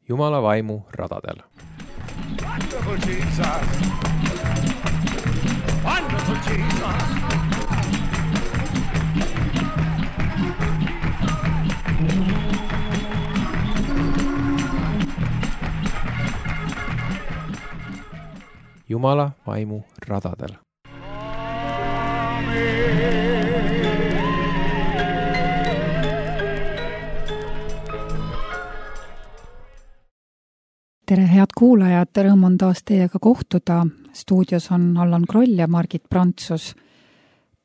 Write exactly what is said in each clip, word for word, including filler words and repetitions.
Jumala vaimu radadel. Wonderful Jesus! Wonderful Jesus! Jumala vaimu radadel. Tere, head kuulajad, rõõm on taas teiega kohtuda. Stuudios on Allan Kroll ja Margit Prantsus.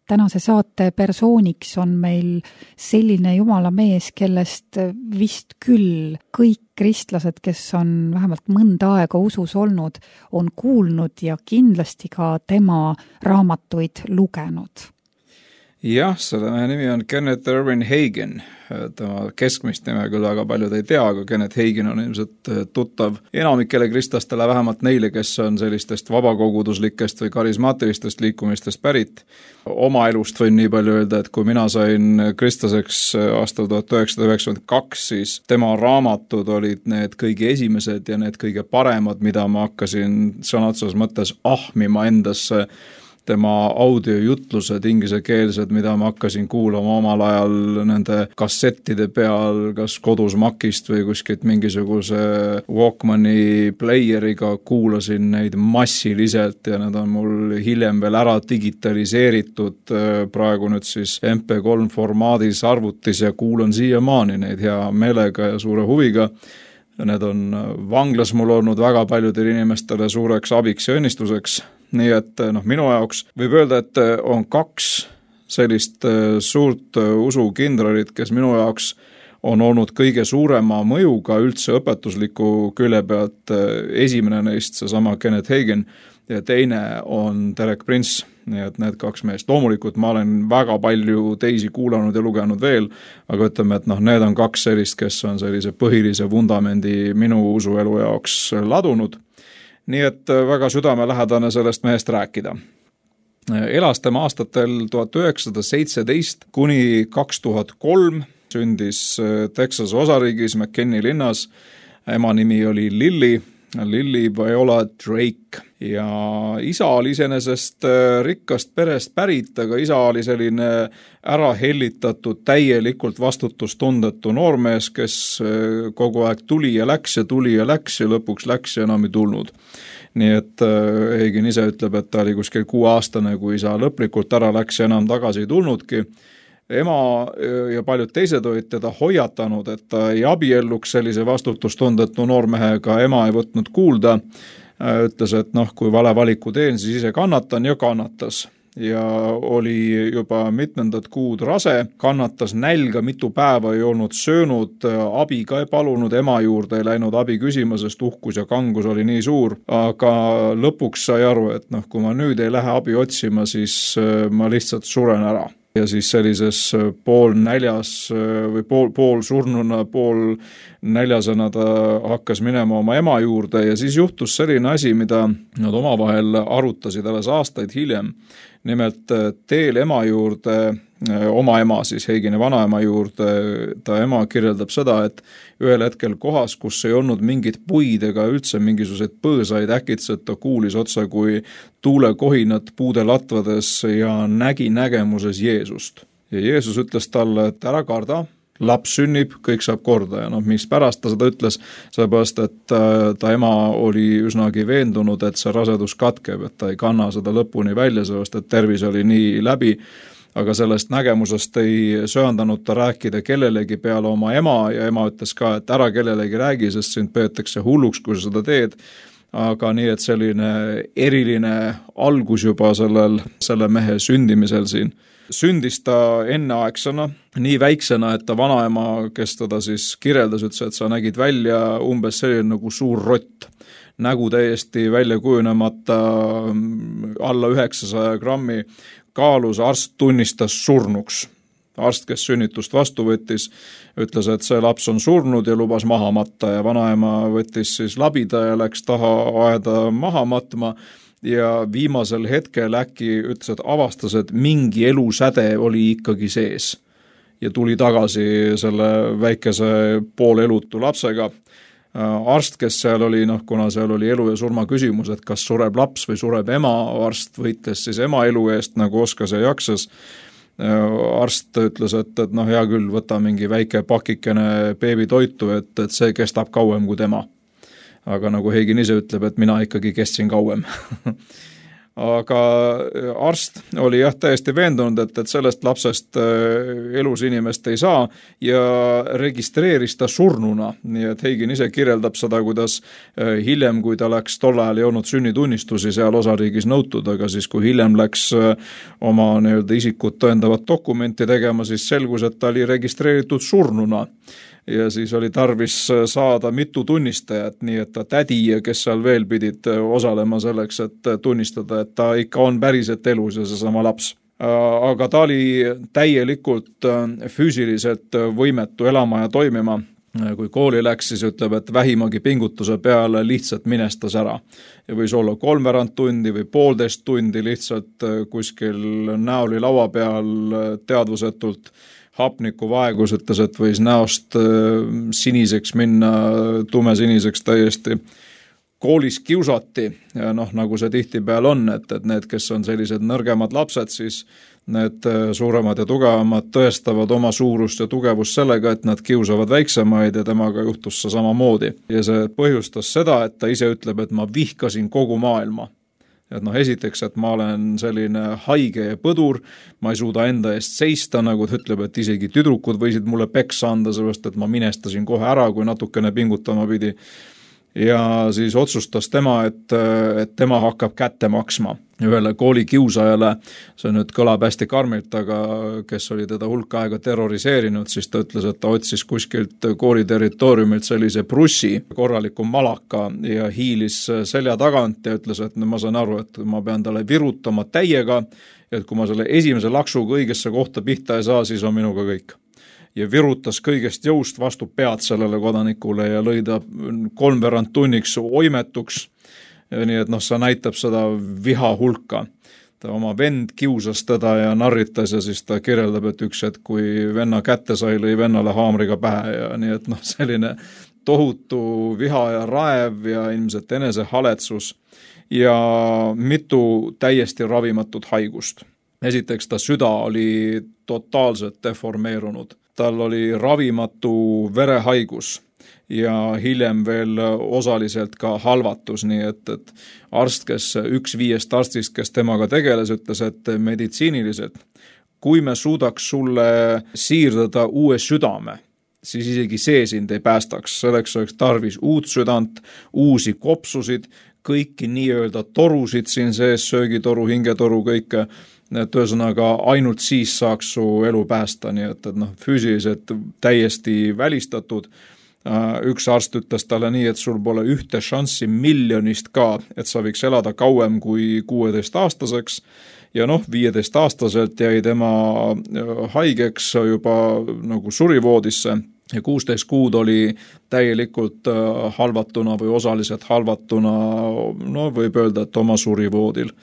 Tänase saate persooniks on meil selline jumala mees, kellest vist küll kõik kristlased, kes on vähemalt mõnda aega usus olnud, on kuulnud ja kindlasti ka tema raamatuid lugenud. Jah, selle mehe nimi on Kenneth Irwin Hagin. Tema keskmist nime küll väga paljud ei tea, aga Kenneth Hagin on ilmselt tuttav enamikele kristlastele, vähemalt neile, kes on sellistest vabakoguduslikest või karismaatilistest liikumistest pärit. Oma elust võin nii palju öelda, et kui mina sain kristlaseks aastal tuhat üheksasada üheksakümmend kaks, siis tema raamatud olid need kõige esimesed ja need kõige paremad, mida ma hakkasin sõna otseses mõttes ahmima endasse. Tema audiojutlused inglisekeelsed, mida ma hakkasin kuulama omal ajal nende kassettide peal, kas kodus Macist või kuskilt mingisuguse Walkmani playeriga, kuulasin neid massiliselt ja need on mul hiljem veel ära digitaliseeritud praegu nüüd siis M P kolm formaadis arvutis ja kuulan siiamaani neid hea meelega ja suure huviga. Need on vanglas mul olnud väga paljudele inimestele suureks abiks ja õnnistuseks. Nii et noh, minu jaoks võib öelda, et on kaks sellist suurt usukindralit, kes minu jaoks on olnud kõige suurema mõjuga üldse õpetusliku külje pealt. Esimene neist, seesama Kenneth Hagin, ja teine on Derek Prince. Nii et need kaks meest. Loomulikult ma olen väga palju teisi kuulanud ja lugenud veel, aga ütleme, et noh, need on kaks sellist, kes on sellise põhilise vundamendi minu usuelu jaoks ladunud. Nii et väga südamelähedane sellest mehest rääkida. Elas tema aastatel tuhat üheksasada seitseteist kuni kaks tuhat kolm, sündis Texase osariigis McKinney linnas. Ema nimi oli Lily, Lily Viola Drake ja isa oli iseenesest rikkast perest pärit, aga isa oli selline ära hellitatud, täielikult vastutustundetu noormees, kes kogu aeg tuli ja läks ja tuli ja läks ja lõpuks läks ja enam ei tulnud. Nii et Hagin ise ütleb, et ta oli kuskil kuueaastane, kui isa lõplikult ära läks ja enam tagasi ei tulnudki. Ema ja paljud teised olid teda hoiatanud, et ta ei abielluks sellise vastutustundetu noormehega, ema ei võtnud kuulda. Ütles, et noh, kui vale valiku teen, siis ise kannatan ja kannatas. Ja oli juba mitmendat kuud rase, kannatas nälga, mitu päeva ei olnud söönud, abi ka ei palunud, ema juurde ei läinud abi küsima, sest uhkus ja kangus oli nii suur. Aga lõpuks sai aru, et noh, kui ma nüüd ei lähe abi otsima, siis ma lihtsalt suren ära. Ja siis sellises pool näljas või pool, pool surnuna, pool näljasena ta hakkas minema oma ema juurde ja siis juhtus selline asi, mida nad omavahel arutasid alles aastaid hiljem. Nimelt teel ema juurde, oma ema siis Hagini vanaema juurde, ta ema kirjeldab seda, et ühel hetkel kohas, kus ei olnud mingit puid ega üldse mingisuguseid põõsaid, äkitselt ta kuulis otsa kui tuulekohinat puude latvades ja nägi nägemuses Jeesust. Ja Jeesus ütles talle, et ära karda, laps sünnib, kõik saab korda ja noh, mis pärast ta seda ütles, sellepärast, et ta ema oli üsnagi veendunud, et see rasedus katkeb, et ta ei kanna seda lõpuni välja, sellepärast, et tervis oli nii läbi, aga sellest nägemusest ei söandanud ta rääkida kellelegi peale oma ema ja ema ütles ka, et ära kellelegi räägi, sest sind peetakse hulluks, kui sa seda teed. Aga nii, et selline eriline algus juba sellel, selle mehe sündimisel siin. Sündis ta enneaegsena, nii väiksena, et ta vanaema, kes teda siis kirjeldas, ütles, et sa nägid välja umbes selline nagu suur rott. Nägu täiesti välja kujunemata, alla üheksasaja grammi kaalus, arst tunnistas surnuks. Arst, kes sünnitust vastu võttis, ütles, et see laps on surnud ja lubas maha matta ja vanaema võttis siis labida ja läks taha aeda maha matma. Ja viimasel hetkel äkki ütles, et avastas, et mingi elusäde oli ikkagi sees. Ja tuli tagasi selle väikese poolelutu lapsega. arst, kes seal oli, noh, kuna seal oli elu ja surma küsimus, et kas sureb laps või sureb ema, arst võitles siis ema elu eest, nagu oskas ja jaksas. Arst ütles, et, et noh, hea küll, võta mingi väike pakikene beebitoitu, et, et see kestab kauem kui tema. Aga nagu Heigin ise ütleb, et mina ikkagi kestsin kauem. Aga arst oli jah täiesti veendunud, et, et sellest lapsest elus inimest ei saa ja registreeris ta surnuna, nii et Heigin ise kirjeldab seda, kuidas hiljem, kui ta läks, tol ajal ei olnud sünnitunnistusi seal osariigis nõutud, aga siis kui hiljem läks oma nii-öelda isikut tõendavat dokumenti tegema, siis selgus, et ta oli registreeritud surnuna. Ja siis oli tarvis saada mitu tunnistajat, nii et ta tädi, kes seal veel pidid osalema selleks, et tunnistada, et ta ikka on päriselt elus ja see sama laps. Aga ta oli täielikult füüsiliselt võimetu elama ja toimima. Kui kooli läks, siis ütleb, et vähimagi pingutuse peale lihtsalt minestas ära. Ja võis olla kolmveerand tundi või poolteist tundi lihtsalt kuskil näoli laua peal teadvusetult hapniku vaegus, ütles, et võis näost siniseks minna, tumesiniseks täiesti. Koolis kiusati ja noh, nagu see tihtipeal on, et, et need, kes on sellised nõrgemad lapsed, siis need suuremad ja tugevamad tõestavad oma suurust ja tugevust sellega, et nad kiusavad väiksemaid ja temaga juhtus see samamoodi. Ja see põhjustas seda, et ta ise ütleb, et ma vihkasin kogu maailma. Et noh, esiteks, et ma olen selline haige ja põdur, ma ei suuda enda eest seista, nagu ta ütleb, et isegi tüdrukud võisid mulle peksa anda, sellepärast, et ma minestasin kohe ära, kui natukene pingutama pidi. Ja siis otsustas tema, et, et tema hakkab kätte maksma ühele kooli kiusajale, see nüüd kõlab hästi karmilt, aga kes oli teda hulk aega terroriseerinud, siis ta ütles, et ta otsis kuskilt kooli territooriumilt sellise prussi, korraliku malaka ja hiilis selja tagant ja ütles, et ma saan aru, et ma pean talle virutama täiega, et kui ma selle esimese laksuga õigesse kohta pihta ei saa, siis on minuga kõik. Ja virutas kõigest jõust vastu pead sellele kodanikule ja lõi ta kolmveerand tunniks oimetuks. Nii et noh, see näitab seda viha hulka. Ta oma vend kiusas teda ja narritas ja siis ta kirjeldab, et üks hetk, kui venna kätte sai, lõi vennale haamriga pähe ja nii et noh, selline tohutu viha ja raev ja ilmselt enesehaletsus ja mitu täiesti ravimatut haigust. Esiteks ta süda oli totaalselt deformeerunud. Tal oli ravimatu verehaigus ja hiljem veel osaliselt ka halvatus, nii et, et arst, kes üks viiest arstist, kes temaga tegeles, ütles, et meditsiiniliselt, kui me suudaks sulle siirdada uue südame, siis isegi see sind ei päästaks. Selleks oleks tarvis uut südant, uusi kopsusid, kõiki nii-öelda torusid siin sees, söögitoru, hingetoru, kõike, et ühesõnaga ainult siis saaks su elu päästa, nii et, et noh, füüsiliselt täiesti välistatud. Üks arst ütles talle nii, et sul pole ühte šanssi miljonist ka, et sa võiks elada kauem kui kuueteist aastaseks ja noh, viieteist aastaselt jäi tema haigeks juba nagu surivoodisse ja kuusteist kuud oli täielikult halvatuna või osaliselt halvatuna, no võib öelda, et oma surivoodil.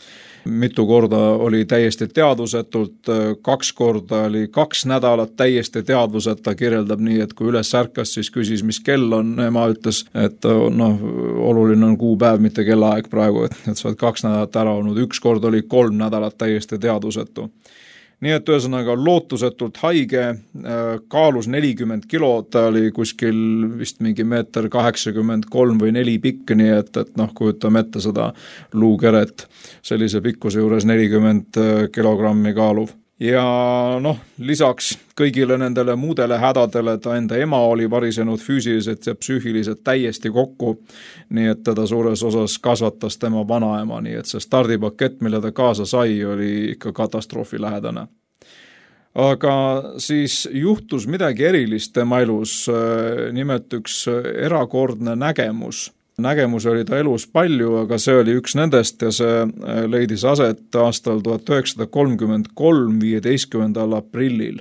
Mitu korda oli täiesti teadvusetult, kaks korda oli kaks nädalat täiesti teadvuseta, kirjeldab nii, et kui üles ärkas, siis küsis, mis kell on, ema ütles, et noh, oluline on kuupäev, mitte kellaaeg praegu, et, et sa oled kaks nädalat ära olnud, üks kord oli kolm nädalat täiesti teadvusetu. Nii et ühesõnaga lootusetult haige, kaalus nelikümmend kilo, ta oli kuskil vist mingi meeter kaheksakümmend kolm või neli pikk, nii et, et noh, kujutame ette seda luukeret sellise pikkuse juures nelikümmend kilogrammi kaaluv. Ja noh, lisaks kõigile nendele muudele hädadele ta enda ema oli varisenud füüsiliselt ja psüühiliselt täiesti kokku, nii et teda suures osas kasvatas tema vanaema, nii et see stardipakett, mille ta kaasa sai, oli ikka katastroofi lähedane. Aga siis juhtus midagi erilist tema elus, nimelt üks erakordne nägemus. Nägemus oli ta elus palju, aga see oli üks nendest ja see leidis aset aastal tuhat üheksasada kolmkümmend kolm viieteistkümnendal aprillil.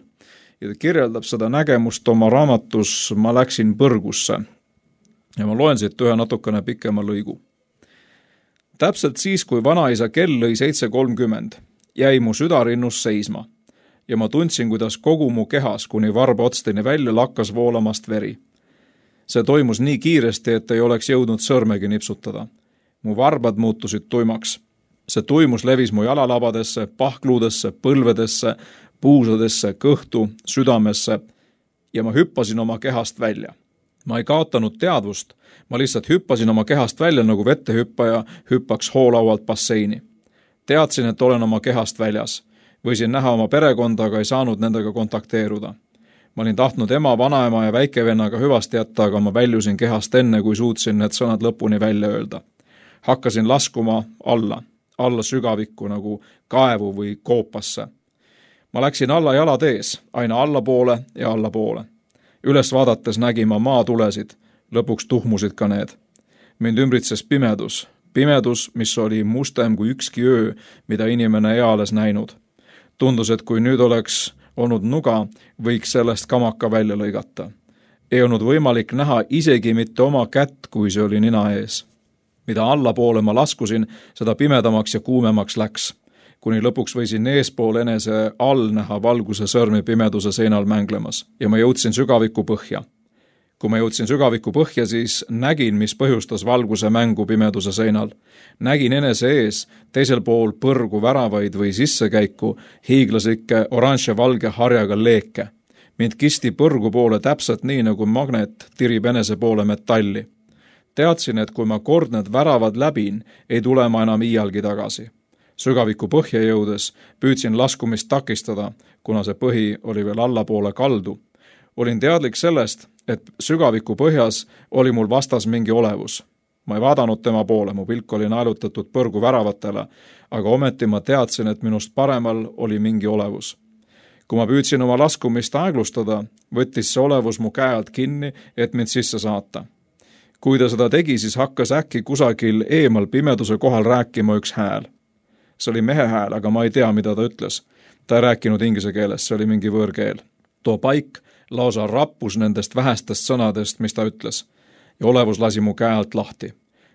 Ja ta kirjeldab seda nägemust oma raamatus Ma läksin põrgusse. Ja ma loen siit ühe natukene pikema lõigu. Täpselt siis, kui vanaisa kell lõi seitse kolmkümmend, jäi mu südarinnus seisma ja ma tundsin, kuidas kogu mu kehas kuni varba otsteni välja lakkas voolamast veri. see toimus nii kiiresti, et ei oleks jõudnud sõrmegi nipsutada. Mu varbad muutusid tuimaks. See tuimus levis mu jalalabadesse, pahkluudesse, põlvedesse, puusadesse, kõhtu, südamesse ja ma hüppasin oma kehast välja. Ma ei kaotanud teadvust, ma lihtsalt hüppasin oma kehast välja nagu vettehüppaja hüppaks hoolaualt basseini. Teadsin, et olen oma kehast väljas. Võisin näha oma perekonda, aga ei saanud nendega kontakteeruda. Ma olin tahtnud ema, vanaema ja väikevennaga hüvasti jätta, aga ma väljusin kehast enne, kui suutsin need sõnad lõpuni välja öelda. Hakkasin laskuma alla, alla sügavikku nagu kaevu või koopasse. Ma läksin alla jalad ees, aina allapoole ja allapoole. Üles vaadates nägin ma maatulesid, lõpuks tuhmusid ka need. Mind ümbritses pimedus, pimedus, mis oli mustem kui ükski öö, mida inimene eales näinud. Tundus, et kui nüüd oleks olnud nuga, võiks sellest kamaka välja lõigata. Ei olnud võimalik näha isegi mitte oma kätt, kui see oli nina ees. Mida allapoole ma laskusin, seda pimedamaks ja kuumemaks läks. Kuni lõpuks võisin eespool enese all näha valguse sõrmi pimeduse seinal mänglemas ja ma jõudsin sügaviku põhja. Kui ma jõudsin sügaviku põhja, siis nägin, mis põhjustas valguse mängu pimeduse seinal. Nägin enese ees, teisel pool põrgu väravaid või sissekäiku, hiiglaslikke oranž ja valge harjaga leeke. Mind kisti põrgu poole täpselt nii, nagu magnet tirib enese poole metalli. Teadsin, et kui ma kord need väravad läbin, ei tule ma enam iialgi tagasi. Sügaviku põhja jõudes püüdsin laskumist takistada, kuna see põhi oli veel allapoole kaldu. Olin teadlik sellest, et sügaviku põhjas oli mul vastas mingi olevus. Ma ei vaadanud tema poole, mu pilk oli naelutatud põrgu väravatele, aga ometi ma teadsin, et minust paremal oli mingi olevus. Kui ma püüdsin oma laskumist aeglustada, võttis see olevus mu käe alt kinni, et mind sisse saata. Kui ta seda tegi, siis hakkas äkki kusagil eemal pimeduse kohal rääkima üks hääl. See oli mehe hääl, aga ma ei tea, mida ta ütles. Ta ei rääkinud inglise keeles, see oli mingi võõrkeel. Too paik lausa rappus nendest vähestest sõnadest, mis ta ütles. Ja olevus lasi mu käe alt lahti.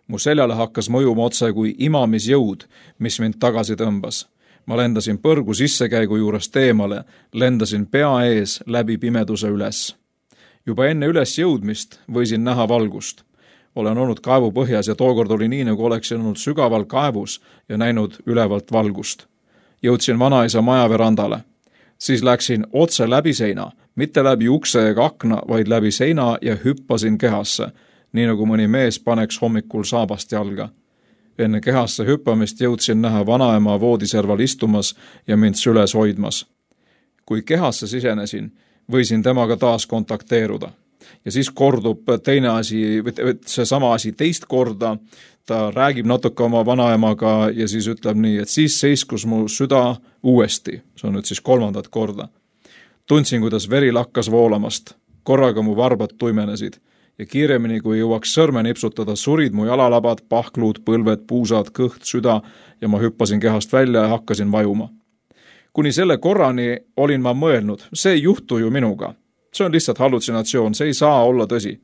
Mu seljale hakkas mõjuma otse kui imamisjõud, mis mind tagasi tõmbas. Ma lendasin põrgu sissekäigu juurest eemale, lendasin pea ees läbi pimeduse üles. Juba enne üles jõudmist võisin näha valgust. Olen olnud kaevu põhjas ja tookord oli nii, nagu oleksin olnud sügaval kaevus ja näinud ülevalt valgust. Jõudsin vanaisa maja verandale. Siis läksin otse läbi seina, mitte läbi ukse ega akna, vaid läbi seina ja hüppasin kehasse, nii nagu mõni mees paneks hommikul saabast jalga. Enne kehasse hüppamist jõudsin näha vanaema voodiserval istumas ja mind süles hoidmas. Kui kehasse sisenesin, võisin temaga taas kontakteeruda. Ja siis kordub teine asi, see sama asi teist korda, ta räägib natuke oma vanaemaga ja siis ütleb nii, et siis seiskus mu süda uuesti, see on nüüd siis kolmandat korda. Tundsin, kuidas veri lakkas voolamast, korraga mu varbad tuimenesid ja kiiremini, kui jõuaks sõrme nipsutada, surid mu jalalabad, pahkluud, põlved, puusad, kõht, süda ja ma hüppasin kehast välja ja hakkasin vajuma. Kuni selle korrani olin ma mõelnud, see ei juhtu ju minuga. See on lihtsalt hallutsinatsioon, see ei saa olla tõsi.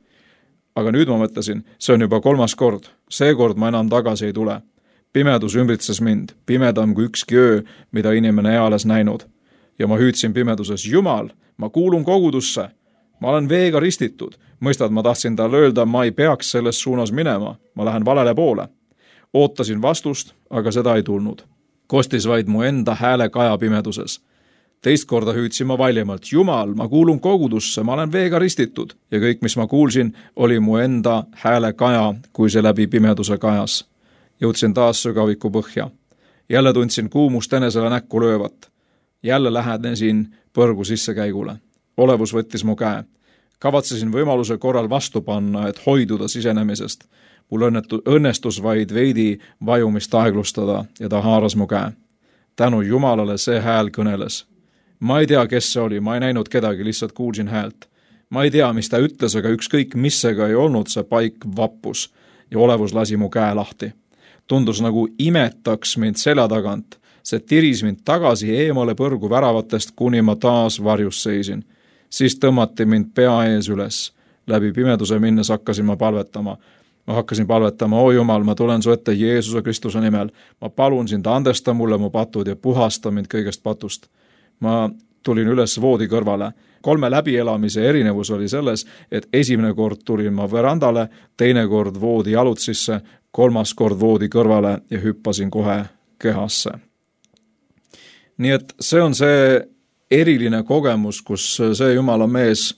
Aga nüüd ma mõtlesin, see on juba kolmas kord, seekord ma enam tagasi ei tule. Pimedus ümbritses mind, pimedam kui ükski öö, mida inimene eales näinud. Ja ma hüüdsin pimeduses, Jumal, ma kuulun kogudusse, ma olen veega ristitud. Mõistad, ma tahtsin talle öelda, ma ei peaks selles suunas minema, ma lähen valele poole. Ootasin vastust, aga seda ei tulnud. Kostis vaid mu enda hääle kaja pimeduses. Teist korda hüüdsin ma valjemalt, Jumal, ma kuulun kogudusse, ma olen veega ristitud. Ja kõik, mis ma kuulsin, oli mu enda hääle kaja, kui see läbi pimeduse kajas. Jõudsin taas sügaviku põhja. Jälle tundsin kuumust enesele näkku löövat. Jälle lähenesin põrgu sissekäigule. Olevus võttis mu käe. Kavatsesin võimaluse korral vastu panna, et hoiduda sisenemisest. Mul õnnestus vaid veidi vajumist aeglustada ja ta haaras mu käe. Tänu Jumalale see hääl kõneles. Ma ei tea, kes see oli, ma ei näinud kedagi, lihtsalt kuulsin häält. Ma ei tea, mis ta ütles, aga ükskõik missega ei olnud, see paik vappus ja olevus lasi mu käe lahti. Tundus nagu imetaks mind selja tagant. See tiris mind tagasi eemale põrgu väravatest, kuni ma taas varjus seisin. Siis tõmmati mind pea ees üles. Läbi pimeduse minnes hakkasin ma palvetama. Ma hakkasin palvetama, o Jumal, ma tulen su ette Jeesuse Kristuse nimel. Ma palun sind, andesta mulle mu patud ja puhasta mind kõigest patust. Ma tulin üles voodi kõrvale. Kolme läbielamise erinevus oli selles, et esimene kord tulin ma verandale, teine kord voodi jalutsisse, kolmas kord voodi kõrvale ja hüppasin kohe kehasse. Nii et see on see eriline kogemus, kus see Jumala mees,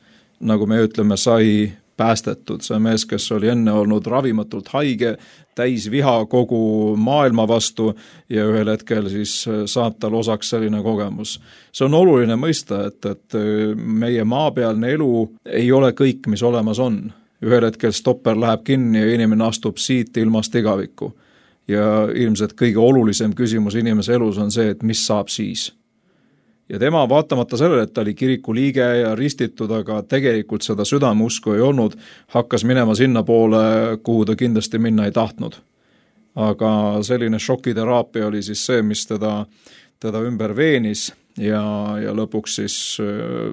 nagu me ütleme, sai päästetud. See mees, kes oli enne olnud ravimatult haige, täis viha kogu maailma vastu ja ühel hetkel siis saab tal osaks selline kogemus. See on oluline mõista, et, et meie maapealne elu ei ole kõik, mis olemas on. Ühel hetkel stopper läheb kinni ja inimene astub siit ilmast igavikku. Ja ilmselt kõige olulisem küsimus inimese elus on see, et mis saab siis. Ja tema vaatamata sellele, et ta oli kiriku liige ja ristitud, aga tegelikult seda südameusku ei olnud, hakkas minema sinna poole, kuhu ta kindlasti minna ei tahtnud. Aga selline šokiteraapia oli siis see, mis teda, teda ümber veenis ja, ja lõpuks siis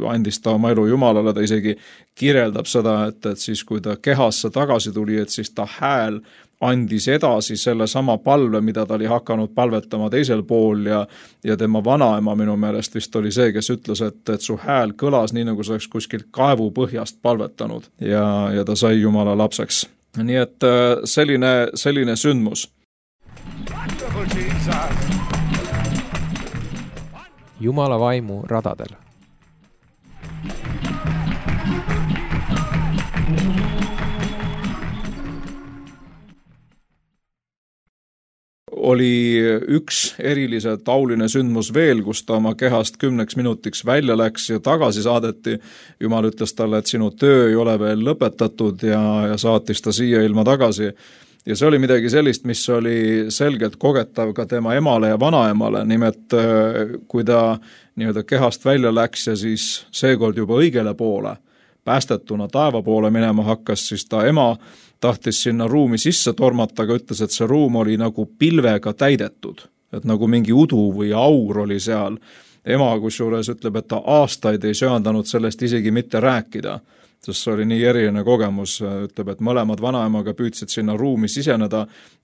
andis ta oma elu Jumalale. Ta isegi kirjeldab seda, et, et siis kui ta kehasse tagasi tuli, et siis ta hääl andis edasi selle sama palve, mida ta oli hakanud palvetama teisel pool ja, ja tema vanaema minu meelest vist oli see, kes ütles, et, et su hääl kõlas nii, nagu sa oleks kuskilt kaevu põhjast palvetanud ja, ja ta sai Jumala lapseks. Nii et selline, selline sündmus. Jumala vaimu radadel. Oli üks erilise tauline sündmus veel, kus ta oma kehast kümneks minutiks välja läks ja tagasi saadeti. Jumal ütles talle, et sinu töö ei ole veel lõpetatud ja, ja saatis ta siia ilma tagasi. Ja see oli midagi sellist, mis oli selgelt kogetav ka tema emale ja vanaemale. Nimelt, kui ta nii-öelda kehast välja läks ja siis seekord juba õigele poole, päästetuna taeva poole minema hakkas, siis ta ema tahtis sinna ruumi sisse tormata, aga ütles, et see ruum oli nagu pilvega täidetud, et nagu mingi udu või aur oli seal. Ema kusjuures ütleb, et ta aastaid ei söandanud sellest isegi mitte rääkida, sest see oli nii eriline kogemus. Ütleb, et mõlemad vanaemaga püüdsid sinna ruumi siseneda,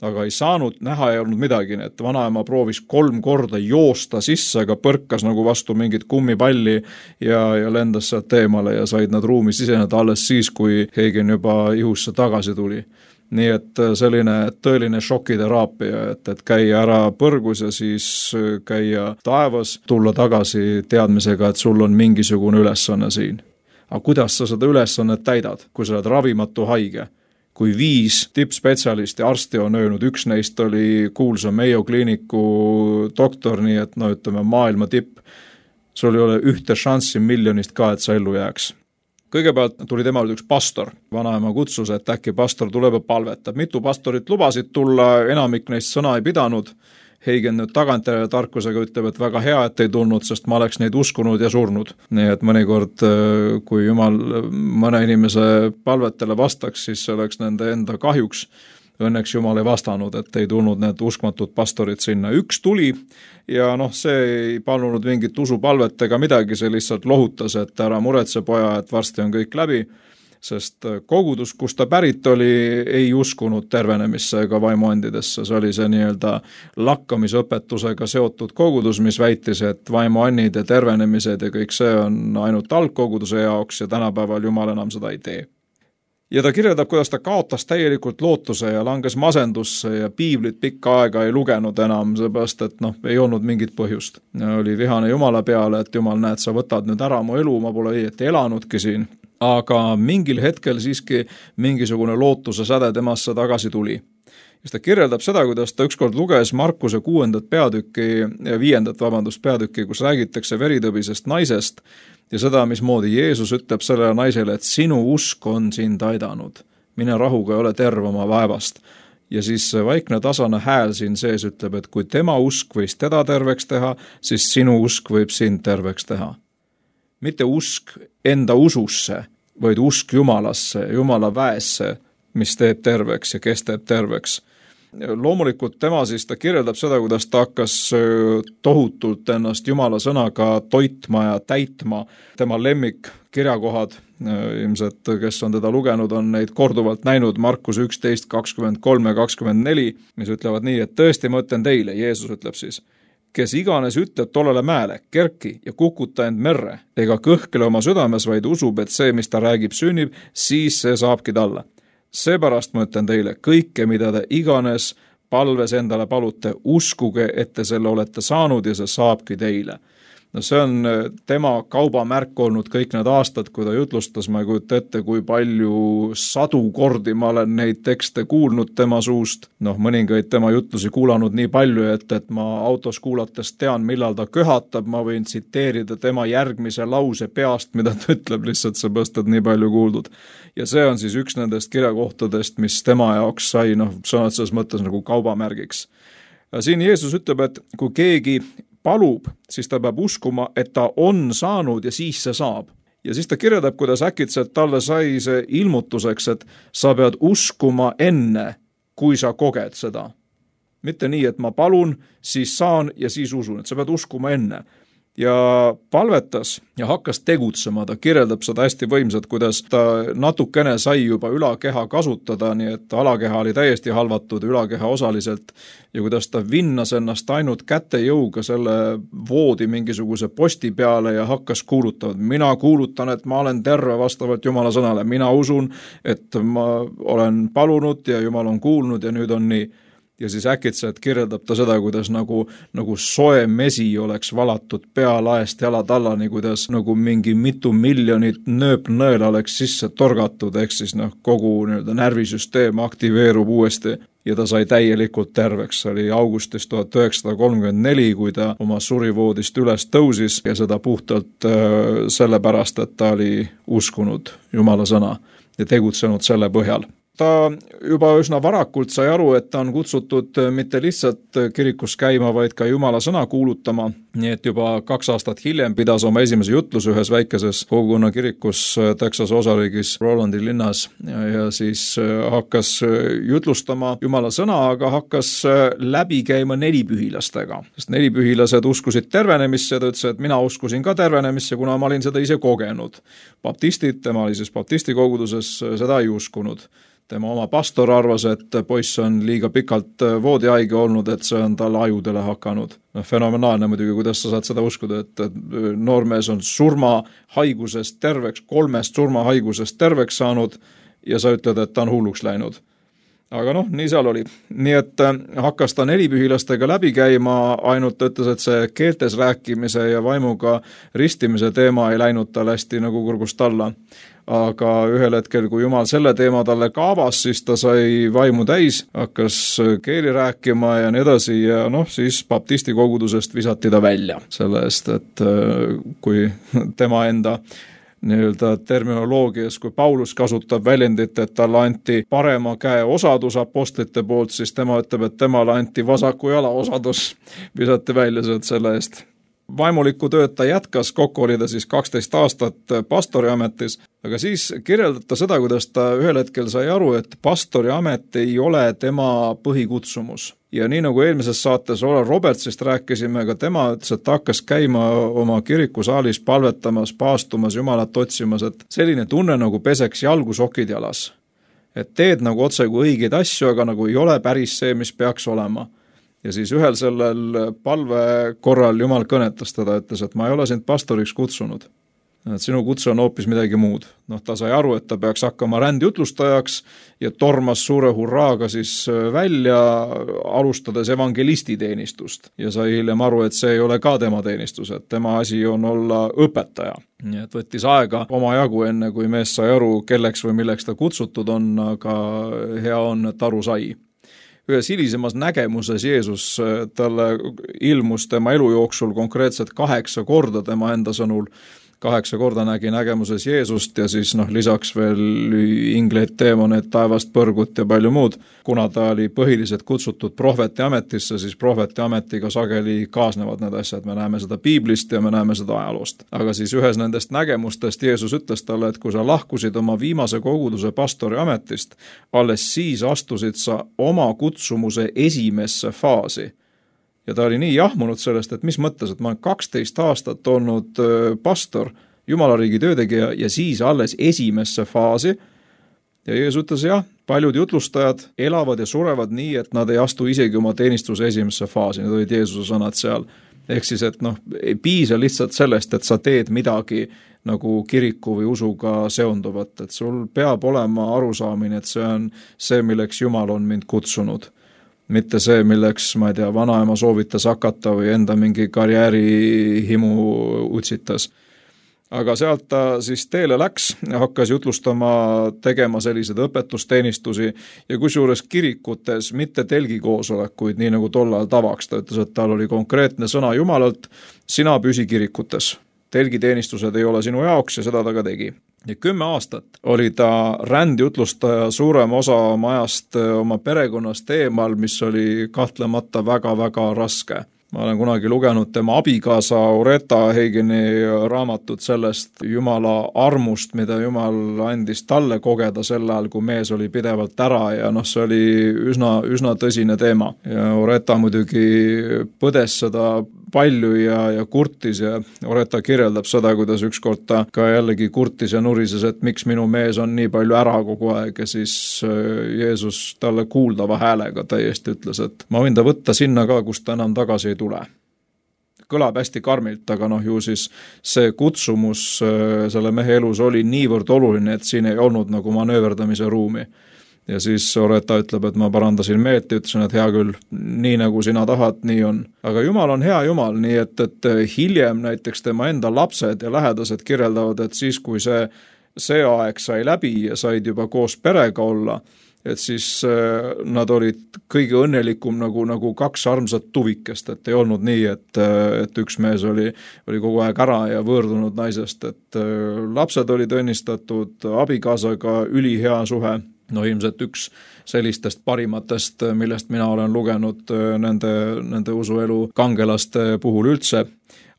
aga ei saanud, näha ei olnud midagi. Et vanaema proovis kolm korda joosta sisse, aga põrkas nagu vastu mingit kummipalli ja, ja lendas sealt teemale ja said nad ruumi siseneda alles siis, kui Hagen juba ihusse tagasi tuli. Nii et selline tõeline šokiteraapia, et, et käia ära põrgus ja siis käia taevas, tulla tagasi teadmisega, et sul on mingisugune ülesanne siin. Aga kuidas sa seda ülesannet täidad, kui sa oled ravimatu haige? Kui viis tippspetsialisti arsti on öelnud, üks neist oli kuulsa Mayo kliiniku doktor, nii et no ütleme maailma tipp, sul ei ole ühte šanssi miljonist ka, et sa ellu jääks. Kõigepealt tuli temal üks pastor, vanaema kutsus, et äkki pastor tuleb ja palvetab. Mitu pastorit lubasid tulla, enamik neist sõna ei pidanud. Hagen nüüd tagantjärele tarkusega ütleb, et väga hea, et ei tulnud, sest ma oleks neid uskunud ja surnud. Nii et mõnikord, kui Jumal mõne inimese palvetele vastaks, siis see oleks nende enda kahjuks. Õnneks Jumal ei vastanud, et ei tulnud need uskmatud pastorid sinna. Üks tuli ja noh, see ei palunud mingit usupalvet ega midagi, see lihtsalt lohutas, et ära muretse poja, et varsti on kõik läbi. Sest kogudus, kus ta pärit oli, ei uskunud tervenemisse ega vaimuandidesse. See oli see nii-öelda lakkamisõpetusega seotud kogudus, mis väitis, et vaimuannid ja tervenemised ja kõik see on ainult algkoguduse jaoks ja tänapäeval Jumal enam seda ei tee. Ja ta kirjeldab, kuidas ta kaotas täielikult lootuse ja langes masendusse ja piiblit pikka aega ei lugenud enam, seepärast, et noh, ei olnud mingit põhjust. Oli vihane Jumala peale, et Jumal, näed, sa võtad nüüd ära mu elu, ma pole õieti elanudki siin. Aga mingil hetkel siiski mingisugune lootuse säde temasse tagasi tuli. Ja ta kirjeldab seda, kuidas ta ükskord luges Markuse kuuendat peatükki, viiendat vabandust peatükki, kus räägitakse veritõbisest naisest ja seda, mismoodi Jeesus ütleb sellele naisele, et sinu usk on sind aidanud. Mine rahuga, ole terve oma vaevast. Ja siis vaikne tasane hääl siin sees ütleb, et kui tema usk võis teda terveks teha, siis sinu usk võib sind terveks teha. Mitte usk enda ususse, vaid usk Jumalasse, Jumala väesse, mis teeb terveks ja kes teeb terveks. Loomulikult tema siis ta kirjeldab seda, kuidas ta hakkas tohutult ennast Jumala sõnaga toitma ja täitma. Tema lemmik kirjakohad, ilmselt kes on teda lugenud, on neid korduvalt näinud, Markus üksteist kakskümmend kolm ja kakskümmend neli, mis ütlevad nii, et tõesti ma ütlen teile, Jeesus ütleb siis, kes iganes ütleb tollele mäele, kerki ja kukuta end merre, ega kõhkle oma südames, vaid usub, et see, mis ta räägib, sünnib, siis see saabki talle. Seepärast ma ütlen teile, kõike, mida te iganes palves endale palute, uskuge, et te selle olete saanud ja see saabki teile. No see on tema kaubamärk olnud kõik need aastad, kui ta jutlustas, ma ei kujuta ette, kui palju sadu kordi ma olen neid tekste kuulnud tema suust. Noh, mõningaid tema jutlusi kuulanud nii palju, et, et ma autos kuulates tean, millal ta köhatab, ma võin tsiteerida tema järgmise lause peast, mida ta ütleb lihtsalt seepärast, et nii palju kuuldud. Ja see on siis üks nendest kirjakohtadest, mis tema jaoks sai, noh, sõnad selles mõttes nagu kaubamärgiks. Ja siin Jeesus ütleb, et kui keegi palub, siis ta peab uskuma, et ta on saanud ja siis see saab. Ja siis ta kirjeldab, kuidas äkitselt talle sai see ilmutuseks, et sa pead uskuma enne, kui sa koged seda. Mitte nii, et ma palun, siis saan ja siis usun, et sa pead uskuma enne. Ja palvetas ja hakkas tegutsema, ta kirjeldab seda hästi võimsat, kuidas ta natukene sai juba ülakeha kasutada, nii et alakeha oli täiesti halvatud, ülakeha osaliselt, ja kuidas ta vinnas ennast ainult kätejõuga selle voodi mingisuguse posti peale ja hakkas kuulutama. Mina kuulutan, et ma olen terve vastavalt Jumala sõnale, mina usun, et ma olen palunud ja Jumal on kuulnud ja nüüd on nii. Ja siis äkitselt kirjeldab ta seda, kuidas nagu, nagu soe mesi oleks valatud pealaest jalad allani, kuidas nagu mingi mitu miljonit nööpnõela oleks sisse torgatud, ehk siis noh, kogu nii-öelda närvisüsteem aktiveerub uuesti ja ta sai täielikult terveks. See oli augustis tuhat üheksasada kolmkümmend neli, kui ta oma surivoodist üles tõusis ja seda puhtalt äh, sellepärast, et ta oli uskunud Jumala sõna ja tegutsenud selle põhjal. Ta juba üsna varakult sai aru, et ta on kutsutud mitte lihtsalt kirikus käima, vaid ka Jumala sõna kuulutama. Nii et juba kaks aastat hiljem pidas oma esimese jutluse ühes väikeses kogukonna kirikus Texas osariigis Rolandi linnas ja, ja siis hakkas jutlustama Jumala sõna, aga hakkas läbi käima nelipühilastega. Sest nelipühilased uskusid tervenemisse ja ta ütles, et mina uskusin ka tervenemisse, kuna ma olin seda ise kogenud. Baptistid, tema oli siis baptisti koguduses, seda ei uskunud. Tema oma pastor arvas, et poiss on liiga pikalt voodihaige olnud, et see on tal ajudele hakanud. No, fenomenaalne muidugi, kuidas sa saad seda uskuda, et, et noormees on surmahaigusest terveks, kolmest surmahaigusest terveks saanud ja sa ütled, et ta on hulluks läinud. Aga noh, nii seal oli. Nii et hakkas ta nelipühilastega läbi käima, ainult ütles, et see keeltes rääkimise ja vaimuga ristimise teema ei läinud tal hästi nagu kurgust alla. Aga ühel hetkel, kui Jumal selle teema talle kaavas, siis ta sai vaimu täis, hakkas keeli rääkima ja nii edasi ja noh, siis baptisti kogudusest visati ta välja selle eest, et kui tema enda nii-öelda terminoloogias, kui Paulus kasutab väljendit, et talle anti parema käe osadus apostlite poolt, siis tema ütleb, et temale anti vasaku jala osadus, visati välja sealt selle eest. Vaimuliku tööd ta jätkas, kokku oli ta siis kaksteist aastat pastori ametis, aga siis kirjeldata seda, kuidas ta ühel hetkel sai aru, et pastori amet ei ole tema põhikutsumus. Ja nii nagu eelmises saates Ola Robertsist rääkisime, aga tema ütles, et ta hakkas käima oma kirikusaalis palvetamas, paastumas, Jumalat otsimas, et selline tunne nagu peseks jalgu sokid jalas. Et teed nagu otse kui õigeid asju, aga nagu ei ole päris see, mis peaks olema. Ja siis ühel sellel palve korral Jumal kõnetas teda, ütles, et ma ei ole sind pastoriks kutsunud. Et sinu kutse on hoopis midagi muud. Noh, ta sai aru, et ta peaks hakkama rändjutlustajaks ja tormas suure hurraaga siis välja, alustades evangelisti teenistust. Ja sai hiljem aru, et see ei ole ka tema teenistus, et tema asi on olla õpetaja. Nii et võttis aega oma jagu enne, kui mees sai aru, kelleks või milleks ta kutsutud on, aga hea on, et aru sai. Ühes hilisemas nägemuses Jeesus talle ilmus tema elu jooksul konkreetselt kaheksa korda tema enda sõnul. Kaheksa korda nägi nägemuses Jeesust ja siis noh, lisaks veel ingleid, teemoneid, taevast, põrgut ja palju muud. Kuna ta oli põhiliselt kutsutud prohveti ametisse, siis prohveti ametiga sageli kaasnevad need asjad. Me näeme seda Piiblist ja me näeme seda ajaloost. Aga siis ühes nendest nägemustest Jeesus ütles talle, et kui sa lahkusid oma viimase koguduse pastori ametist, alles siis astusid sa oma kutsumuse esimesse faasi. Ja ta oli nii jahmunud sellest, et mis mõttes, et ma olen kaksteist aastat olnud pastor, Jumalariigi töötegija ja siis alles esimesse faasi. Ja Jeesus ütles, jah, paljud jutlustajad elavad ja surevad nii, et nad ei astu isegi oma teenistuse esimesse faasi. Need olid Jeesuse sõnad seal. ehk siis, et noh, ei piisa lihtsalt sellest, et sa teed midagi nagu kiriku või usuga seonduvat, et sul peab olema arusaamine, et see on see, milleks Jumal on mind kutsunud. Mitte see, milleks, ma ei tea, vanaema soovitas hakata või enda mingi karjäärihimu utsitas. Aga sealt ta siis teele läks, hakkas jutlustama, tegema sellised õpetusteenistusi ja kusjuures kirikutes mitte telgikoosolekuid, nii nagu tollal tavaks. Ta ütles, et tal oli konkreetne sõna Jumalalt, sina püsi kirikutes. Telgiteenistused ei ole sinu jaoks ja seda ta ka tegi. Ja kümme aastat oli ta rändjutlustaja suurem osa oma ajast oma perekonnast eemal, mis oli kahtlemata väga-väga raske. Ma olen kunagi lugenud tema abikaasa Oreta Heigeni raamatut sellest Jumala armust, mida Jumal andis talle kogeda sel ajal, kui mees oli pidevalt ära ja noh, see oli üsna, üsna tõsine teema. Ja Oreta muidugi põdes seda palju ja, ja kurtis ja Oreta kirjeldab seda, kuidas ükskord ta ka jällegi kurtis ja nurises, et miks minu mees on nii palju ära kogu aeg ja siis Jeesus talle kuuldava häälega täiesti ütles, et ma võin ta võtta sinna ka, kus ta enam tagasi ei tule. Kõlab hästi karmilt, aga noh, ju siis see kutsumus selle mehe elus oli niivõrd oluline, et siin ei olnud nagu manööverdamise ruumi. Ja siis Oreta ütleb, et ma parandasin meelt ja ütlesin, et hea küll, nii nagu sina tahad, nii on. Aga Jumal on hea Jumal, nii et, et hiljem näiteks tema enda lapsed ja lähedased kirjeldavad, et siis kui see, see aeg sai läbi ja said juba koos perega olla, et siis nad olid kõige õnnelikum nagu, nagu kaks armsat tuvikest, et ei olnud nii, et, et üks mees oli, oli kogu aeg ära ja võõrdunud naisest, et lapsed olid õnnistatud, abikaasaga ülihea suhe. No ilmselt üks sellistest parimatest, millest mina olen lugenud nende, nende usuelu kangelaste puhul üldse.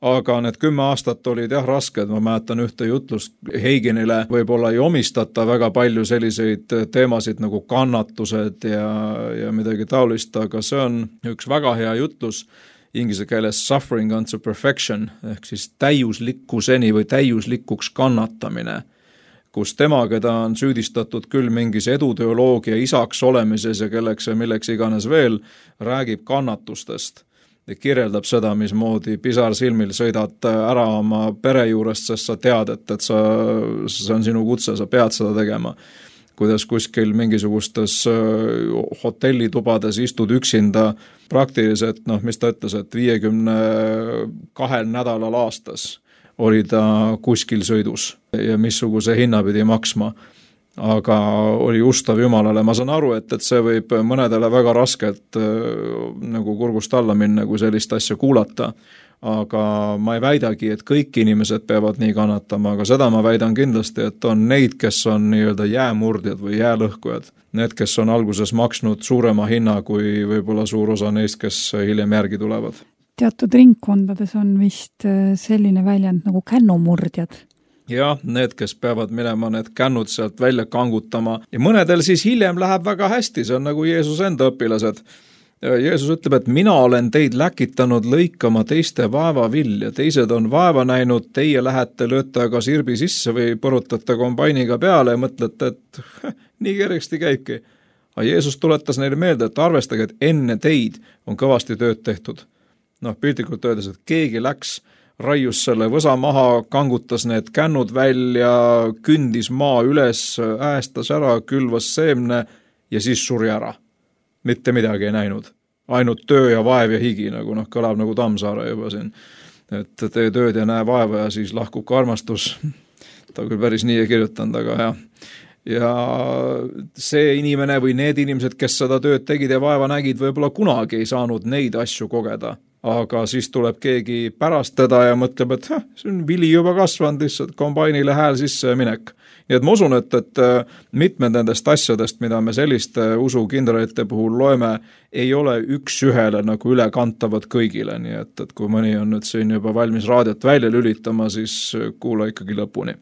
Aga need kümme aastat olid jah rasked, ma mäletan ühte jutlust Heigenile, võib-olla ei omistata väga palju selliseid teemasid nagu kannatused ja, ja midagi taolist, aga see on üks väga hea jutlus inglise keeles suffering unto perfection, ehk siis täiuslikkuseni või täiuslikuks kannatamine, kus tema, keda on süüdistatud küll mingis eduteoloogia isaks olemises ja kelleks ja milleks iganes veel, räägib kannatustest ja kirjeldab seda, mismoodi pisar silmil sõidad ära oma pere juurest, sest sa tead, et, et sa, see on sinu kutse, sa pead seda tegema. Kuidas kuskil mingisugustes hotellitubades istud üksinda praktiliselt, noh, mis ta ütles, et viiekümne kahel nädalal aastas oli ta kuskil sõidus ja missuguse hinna pidi maksma. Aga oli ustav Jumalale. Ma saan aru, et, et see võib mõnedele väga raskelt nagu kurgust alla minna, kui sellist asja kuulata. Aga ma ei väidagi, et kõik inimesed peavad nii kannatama, aga seda ma väidan kindlasti, et on neid, kes on nii-öelda jäämurdjad või jäälõhkujad. Need, kes on alguses maksnud suurema hinna kui võib-olla suur osa neist, kes hiljem järgi tulevad. Teatud ringkondades on vist selline väljend nagu kännumurdjad. Jah, need, kes peavad minema need kännud sealt välja kangutama ja mõnedel siis hiljem läheb väga hästi, see on nagu Jeesus enda õpilased. Jeesus ütleb, et mina olen teid läkitanud lõikama teiste vaevavilja, teised on vaeva näinud, teie lähete, lööte aga sirbi sisse või põrutate kombainiga peale ja mõtlete, et nii kergesti käibki. Aga Jeesus tuletas neile meelde, et arvestage, et enne teid on kõvasti tööd tehtud. Noh, piltlikult öeldes, et keegi läks, raius selle võsa maha, kangutas need kännud välja, kündis maa üles, äästas ära, külvas seemne ja siis suri ära. Mitte midagi ei näinud. Ainult töö ja vaev ja higi, nagu noh, kõlab nagu Tammsaare juba siin. Et tee tööd ja näe vaeva ja siis lahkub ka armastus. Ta küll päris nii ei kirjutanud, aga jah. Ja see inimene või need inimesed, kes seda tööd tegid ja vaeva nägid, võib-olla kunagi ei saanud neid asju kogeda. Aga siis tuleb keegi pärast teda ja mõtleb, et heh, see on vili juba kasvanud, lihtsalt kombainile hääl sisse ja minek. Nii et ma usun, et, et mitmed nendest asjadest, mida me selliste usukindralite puhul loeme, ei ole üks ühele nagu ülekantavad kõigile. Nii et, et kui mõni on nüüd siin juba valmis raadiot välja lülitama, siis kuula ikkagi lõpuni.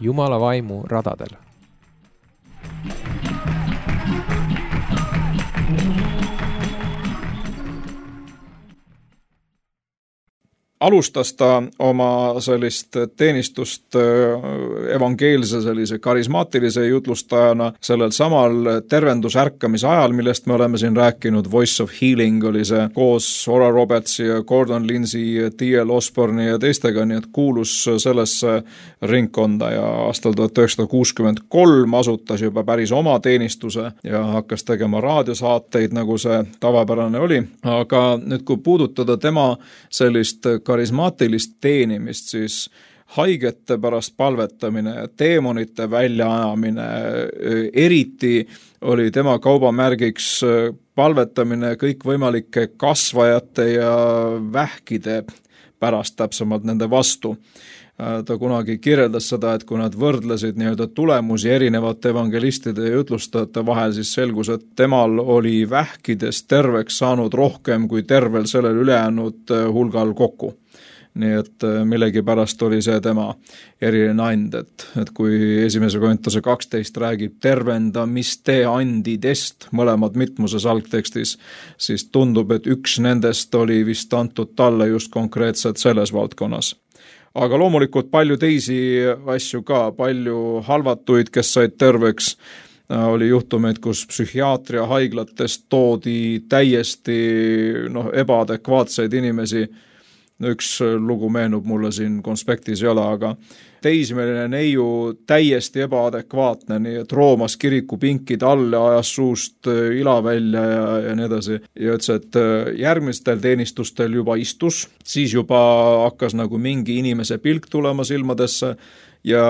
Jumala vaimu radadel. alustas ta oma sellist teenistust evangeelse sellise karismaatilise jutlustajana sellel samal tervendusärkamise ajal, millest me oleme siin rääkinud. Voice of Healing oli see koos Oral Robertsi ja Gordon Lindsay, T L Osborne'i ja teistega, nii et kuulus sellesse ringkonda ja aastal tuhat üheksasada kuuskümmend kolm asutas juba päris oma teenistuse ja hakkas tegema raadiosaateid, nagu see tavapärane oli. Aga nüüd, kui puudutada tema sellist karismaatilist teenimist, siis haigete pärast palvetamine ja teemonite väljaajamine, eriti oli tema kaubamärgiks palvetamine kõikvõimalike kasvajate ja vähkide pärast, täpsemalt nende vastu. Ta kunagi kirjeldas seda, et kui nad võrdlesid nii-öelda tulemusi erinevate evangelistide ja jutlustajate vahel, siis selgus, et temal oli vähkides terveks saanud rohkem kui tervel sellel ülejäänud hulgal kokku. Nii et millegi pärast oli see tema eriline and, et, et kui esimese Korintuse kaksteist räägib tervendamiste andidest, mõlemad mitmuses algtekstis, siis tundub, et üks nendest oli vist antud talle just konkreetselt selles valdkonnas. Aga loomulikult palju teisi asju ka, palju halvatuid, kes said terveks, oli juhtumeid, kus psühhiaatria haiglatest toodi täiesti noh, ebaadekvaatseid inimesi. Üks lugu meenub mulle siin konspektis ei ole, aga teismeline neiu täiesti ebaadekvaatne, nii et roomas kiriku pinkid all ja ajas suust ila välja ja, ja nii edasi. Ja ütles, et järgmistel teenistustel juba istus, siis juba hakkas nagu mingi inimese pilk tulema silmadesse ja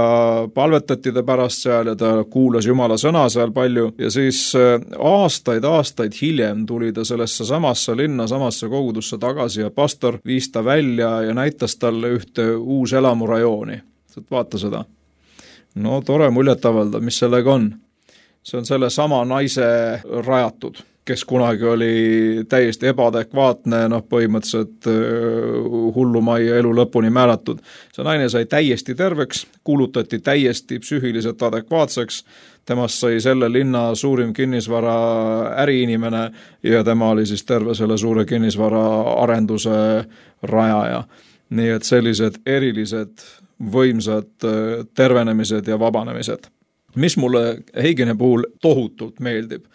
palvetati ta pärast seal ja ta kuulas Jumala sõna seal palju ja siis aastaid, aastaid hiljem tuli ta sellesse samasse linna, samasse kogudusse tagasi ja pastor viis ta välja ja näitas talle ühte uus elamurajooni. Vaata seda. No tore muljet avalda, mis sellega on. See on selle sama naise rajatud, kes kunagi oli täiesti ebaadekvaatne, noh põhimõtteliselt hullumajja elu lõpuni määratud. See naine sai täiesti terveks, kuulutati täiesti psüühiliselt adekvaatseks, temast sai selle linna suurim kinnisvara äriinimene ja tema oli siis terve selle suure kinnisvara arenduse rajaja. Nii et sellised erilised võimsad tervenemised ja vabanemised. Mis mulle Heigeni puhul tohutult meeldib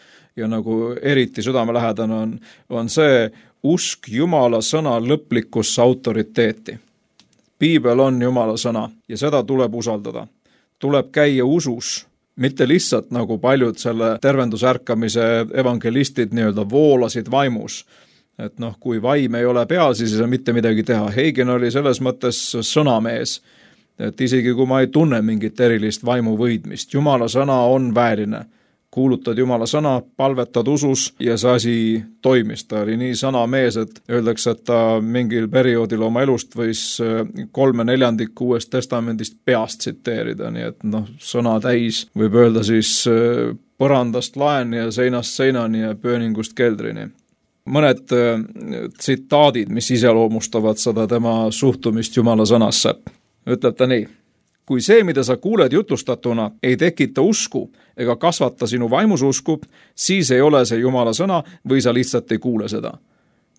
ja nagu eriti südamelähedane on, on see usk Jumala sõna lõplikusse autoriteeti. Piibel on Jumala sõna ja seda tuleb usaldada. Tuleb käia usus, mitte lihtsalt nagu paljud selle tervendusärkamise evangelistid nii-öelda voolasid vaimus. Et noh, kui vaim ei ole peal, siis ei saa mitte midagi teha. Heigen oli selles mõttes sõnamees, et isegi kui ma ei tunne mingit erilist vaimu võidmist, Jumala sõna on vääline. Kuulutad Jumala sõna, palvetad usus ja see asi toimis. Ta oli nii sõnamees, et öeldakse, et ta mingil perioodil oma elust võis kolme neljandikku Uuest testamendist peast tsiteerida, nii et noh, sõna täis võib öelda siis põrandast laeni ja seinast seinani ja pööningust keldrini. Mõned tsitaadid, mis iseloomustavad seda tema suhtumist Jumala sõnasse. Ütleb ta nii, kui see, mida sa kuuled jutlustatuna, ei tekita usku ega kasvata sinu vaimususku, siis ei ole see Jumala sõna või sa lihtsalt ei kuule seda.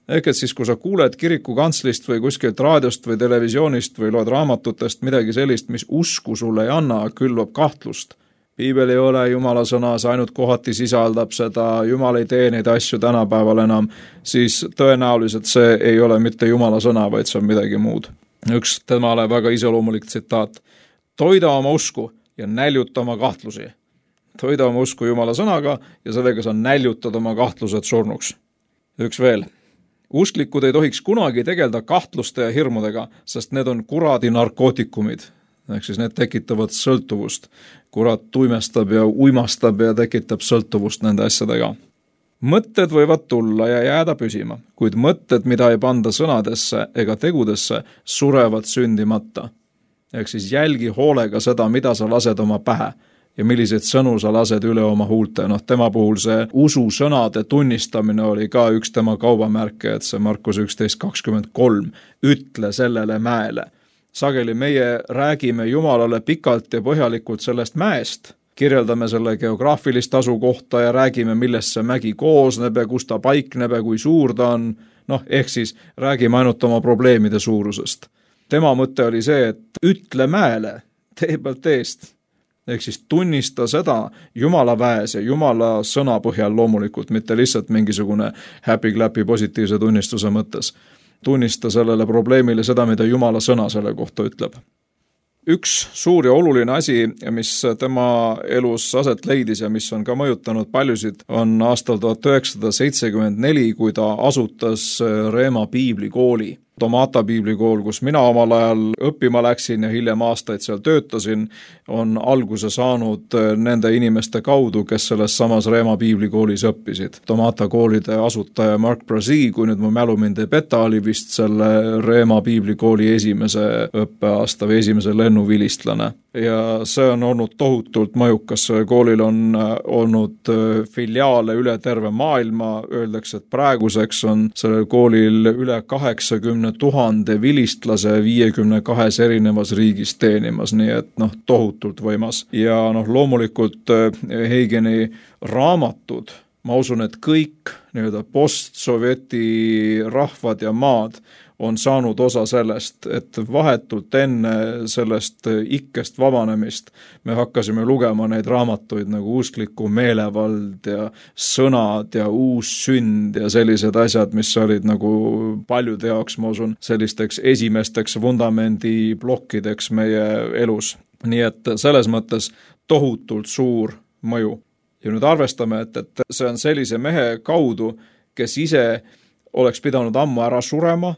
Ehk et siis, kui sa kuuled kiriku kantslist või kuskilt raadiost või televisioonist või loed raamatutest midagi sellist, mis usku sulle ei anna, külvab kahtlust. Piibel ei ole Jumala sõna, see ainult kohati sisaldab seda, Jumal ei tee neid asju tänapäeval enam, siis tõenäoliselt see ei ole mitte Jumala sõna, vaid see on midagi muud. Üks temale väga iseloomulik tsitaat. Toida oma usku ja näljuta oma kahtlusi. Toida oma usku Jumala sõnaga ja sellega sa näljutad oma kahtlused surnuks. Üks veel. Usklikud ei tohiks kunagi tegelda kahtluste ja hirmudega, sest need on kuradi narkootikumid. Ehk siis need tekitavad sõltuvust. Kurat tuimestab ja uimastab ja tekitab sõltuvust nende asjadega. Mõtted võivad tulla ja jääda püsima, kuid mõtted, mida ei panda sõnadesse ega tegudesse, surevad sündimata. Ehk siis jälgi hoolega seda, mida sa lased oma pähe ja milliseid sõnu sa lased üle oma huulte. Noh, tema puhul see usu sõnade tunnistamine oli ka üks tema kaubamärke, et see Markus üksteist kakskümmend kolm ütle sellele mäele. Sageli meie räägime Jumalale pikalt ja põhjalikult sellest mäest, kirjeldame selle geograafilist asukohta ja räägime, millest see mägi koosneb ja kus ta paikneb ja kui suur ta on. noh, ehk siis räägime ainult oma probleemide suurusest. Tema mõte oli see, et ütle mäele tee pealt eest, ehk siis tunnista seda Jumala väes ja Jumala sõna põhjal loomulikult, mitte lihtsalt mingisugune happy-clappy positiivse tunnistuse mõttes. Tunnista sellele probleemile seda, mida Jumala sõna selle kohta ütleb. Üks suur ja oluline asi, mis tema elus aset leidis ja mis on ka mõjutanud paljusid, on aastal tuhat üheksasada seitsekümmend neli, kui ta asutas Reema piiblikooli. Tomata piiblikool, kus mina omal ajal õppima läksin ja hiljem aastaid seal töötasin, on alguse saanud nende inimeste kaudu, kes selles samas Reema piiblikoolis õppisid. Tomata koolide asutaja Mark Brazee, kui nüüd mu mälu mind ei peta, oli vist selle Reema piiblikooli esimese õppeaasta või esimese lennuvilistlane. Ja see on olnud tohutult mõjukas. Koolil on olnud filiaale üle terve maailma. Öeldakse, et praeguseks on sellel koolil üle kaheksakümne tuhande vilistlase viiekümne kahes erinevas riigis teenimas, nii et noh, tohutult võimas. Ja noh, loomulikult Heigeni raamatud, ma usun, et kõik nii-öelda post-sovjeti rahvad ja maad on saanud osa sellest, et vahetult enne sellest ikkest vabanemist me hakkasime lugema neid raamatuid nagu uskliku meelevald ja sõnad ja uus sünd ja sellised asjad, mis olid nagu paljude jaoks, ma usun, sellisteks esimesteks vundamendi plokkideks meie elus. Nii et selles mõttes tohutult suur mõju. Ja nüüd arvestame, et, et see on sellise mehe kaudu, kes ise oleks pidanud ammu ära surema,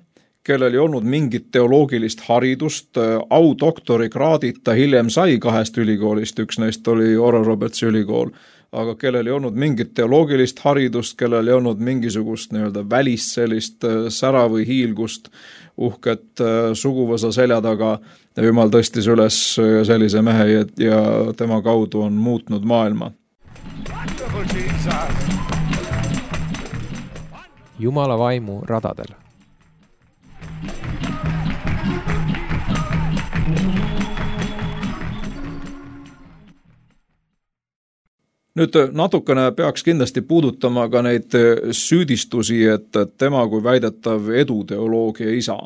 kellel ei olnud mingit teoloogilist haridust, audoktori kraadid ta hiljem sai kahest ülikoolist, üks neist oli Oral Robertsi ülikool, aga kellel ei olnud mingit teoloogilist haridust, kellel ei olnud mingisugust nii-öelda välist sellist sära või hiilgust, uhket suguvõsa selja taga, ja Jumal tõstis üles sellise mehe ja tema kaudu on muutnud maailma. Jumala vaimu radadel. Nüüd natukene peaks kindlasti puudutama ka neid süüdistusi, et tema kui väidetav eduteoloogia isa.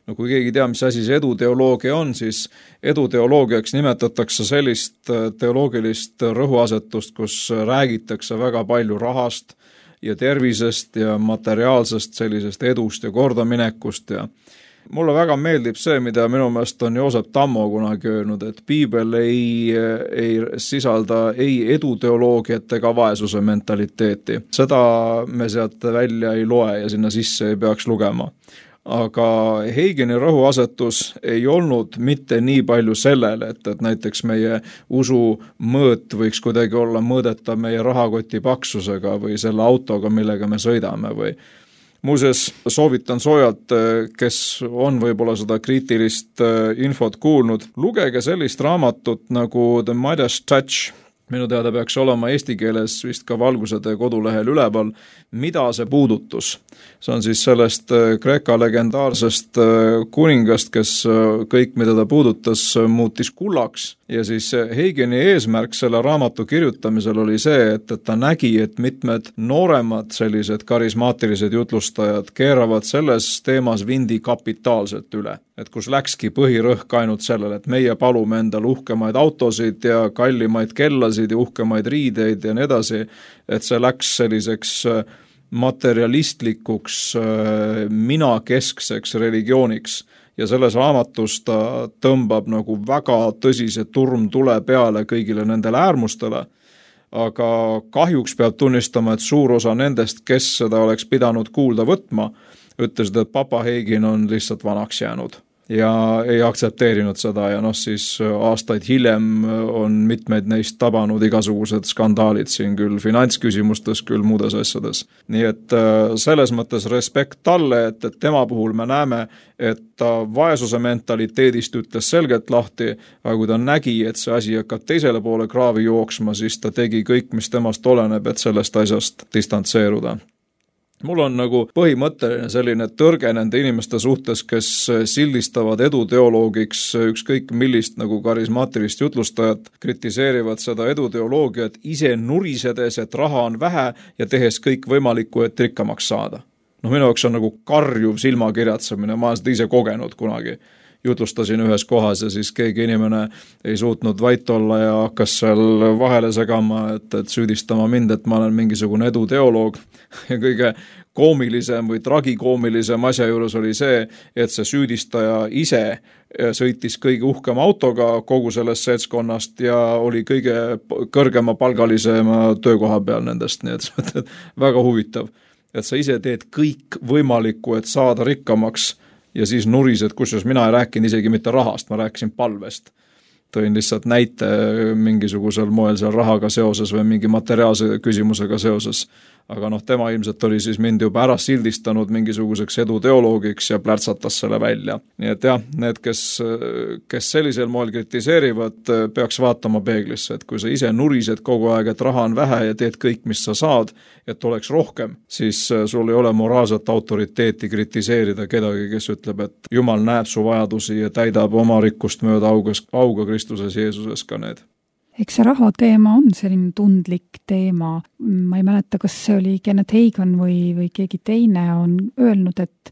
No kui keegi tea, mis asi see eduteoloogia on, siis eduteoloogiaks nimetatakse sellist teoloogilist rõhuasetust, kus räägitakse väga palju rahast ja tervisest ja materiaalsest sellisest edust ja kordaminekust ja mulle väga meeldib see, mida minu meelest on Joosep Tammo kunagi öelnud, et piibel ei, ei sisalda ei eduteoloogiat ega vaesuse mentaliteeti. Seda me sealt välja ei loe ja sinna sisse ei peaks lugema. Aga Heigeni rõhuasetus ei olnud mitte nii palju sellele, et, et näiteks meie usu mõõt võiks kuidagi olla mõõdeta meie rahakoti paksusega või selle autoga, millega me sõidame või muuseas, soovitan soojalt, kes on võib-olla seda kriitilist infot kuulnud, lugege sellist raamatut nagu The Midas Touch. Minu teada peaks olema eesti keeles vist ka Valgusede kodulehel üleval, mida see puudutus. See on siis sellest Kreeka legendaarsest kuningast, kes kõik, mida ta puudutas, muutis kullaks. Ja siis Heigeni eesmärk selle raamatu kirjutamisel oli see, et, et ta nägi, et mitmed nooremad sellised karismaatilised jutlustajad keeravad selles teemas vindi kapitaalselt üle. Et kus läkski põhirõhk ainult sellele, et meie palume endal uhkemaid autosid ja kallimaid kellasid ja uhkemaid riideid ja nii edasi, et see läks selliseks materialistlikuks minakeskseks religiooniks. Ja selles raamatus ta tõmbab nagu väga tõsise turmtule peale kõigile nendele äärmustele, aga kahjuks peab tunnistama, et suur osa nendest, kes seda oleks pidanud kuulda võtma, ütlesid, et papa Heigin on lihtsalt vanaks jäänud ja ei aktsepteerinud seda ja noh, siis aastaid hiljem on mitmeid neist tabanud igasugused skandaalid siin küll finantsküsimustes, küll muudes asjades. Nii et selles mõttes respekt talle, et, et tema puhul me näeme, et ta vaesuse mentaliteedist ütles selgelt lahti, aga kui ta nägi, et see asi hakkab teisele poole kraavi jooksma, siis ta tegi kõik, mis temast oleneb, et sellest asjast distantseeruda. Mul on nagu põhimõtteline selline tõrge nende inimeste suhtes, kes sildistavad eduteoloogiks ükskõik millist nagu karismaatilist jutlustajat, kritiseerivad seda eduteoloogiat ise nurisedes, et raha on vähe ja tehes kõik võimalikku, et rikkamaks saada. noh, minu jaoks on nagu karjuv silmakirjatsemine, ma olen seda ise kogenud kunagi. Jutlustasin ühes kohas ja siis keegi inimene ei suutnud vait olla ja hakkas seal vahele segama, et, et süüdistama mind, et ma olen mingisugune eduteoloog ja kõige koomilisem või tragikoomilisem asja juures oli see, et see süüdistaja ise sõitis kõige uhkema autoga kogu sellest seltskonnast ja oli kõige kõrgema palgalisema töökoha peal nendest, nii et väga huvitav, et sa ise teed kõik võimalikku, et saada rikkamaks ja siis nurised, kusjuures mina ei rääkinud isegi mitte rahast, ma rääkisin palvest. Tõin lihtsalt näite mingisugusel moel seal rahaga seoses või mingi materiaalse küsimusega seoses. Aga noh, tema ilmselt oli siis mind juba ära sildistanud mingisuguseks eduteoloogiks ja plärtsatas selle välja. Nii et jah, need, kes, kes sellisel moel kritiseerivad, peaks vaatama peeglisse, et kui sa ise nurised kogu aeg, et raha on vähe ja teed kõik, mis sa saad, et oleks rohkem, siis sul ei ole moraalset autoriteeti kritiseerida kedagi, kes ütleb, et Jumal näeb su vajadusi ja täidab oma rikkust mööda augas, auga Kristuses Jeesuses ka need. Eks see raha teema on selline tundlik teema. Ma ei mäleta, kas see oli Kenneth Hagin või, või keegi teine on öelnud, et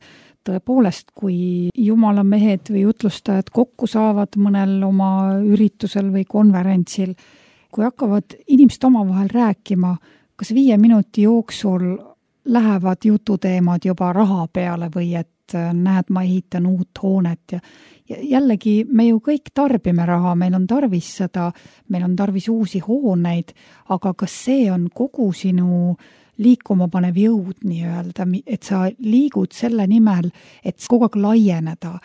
tõepoolest, kui Jumala mehed või jutlustajad kokku saavad mõnel oma üritusel või konverentsil, kui hakkavad inimesed omavahel rääkima, kas viie minuti jooksul lähevad jututeemad juba raha peale või et näed, ma ehitan uut hoonet ja Ja jällegi, me ju kõik tarbime raha, meil on tarvis seda, meil on tarvis uusi hooneid, aga kas see on kogu sinu liikuma panev jõud nii-öelda, et sa liigud selle nimel, et kogu aeg laieneda.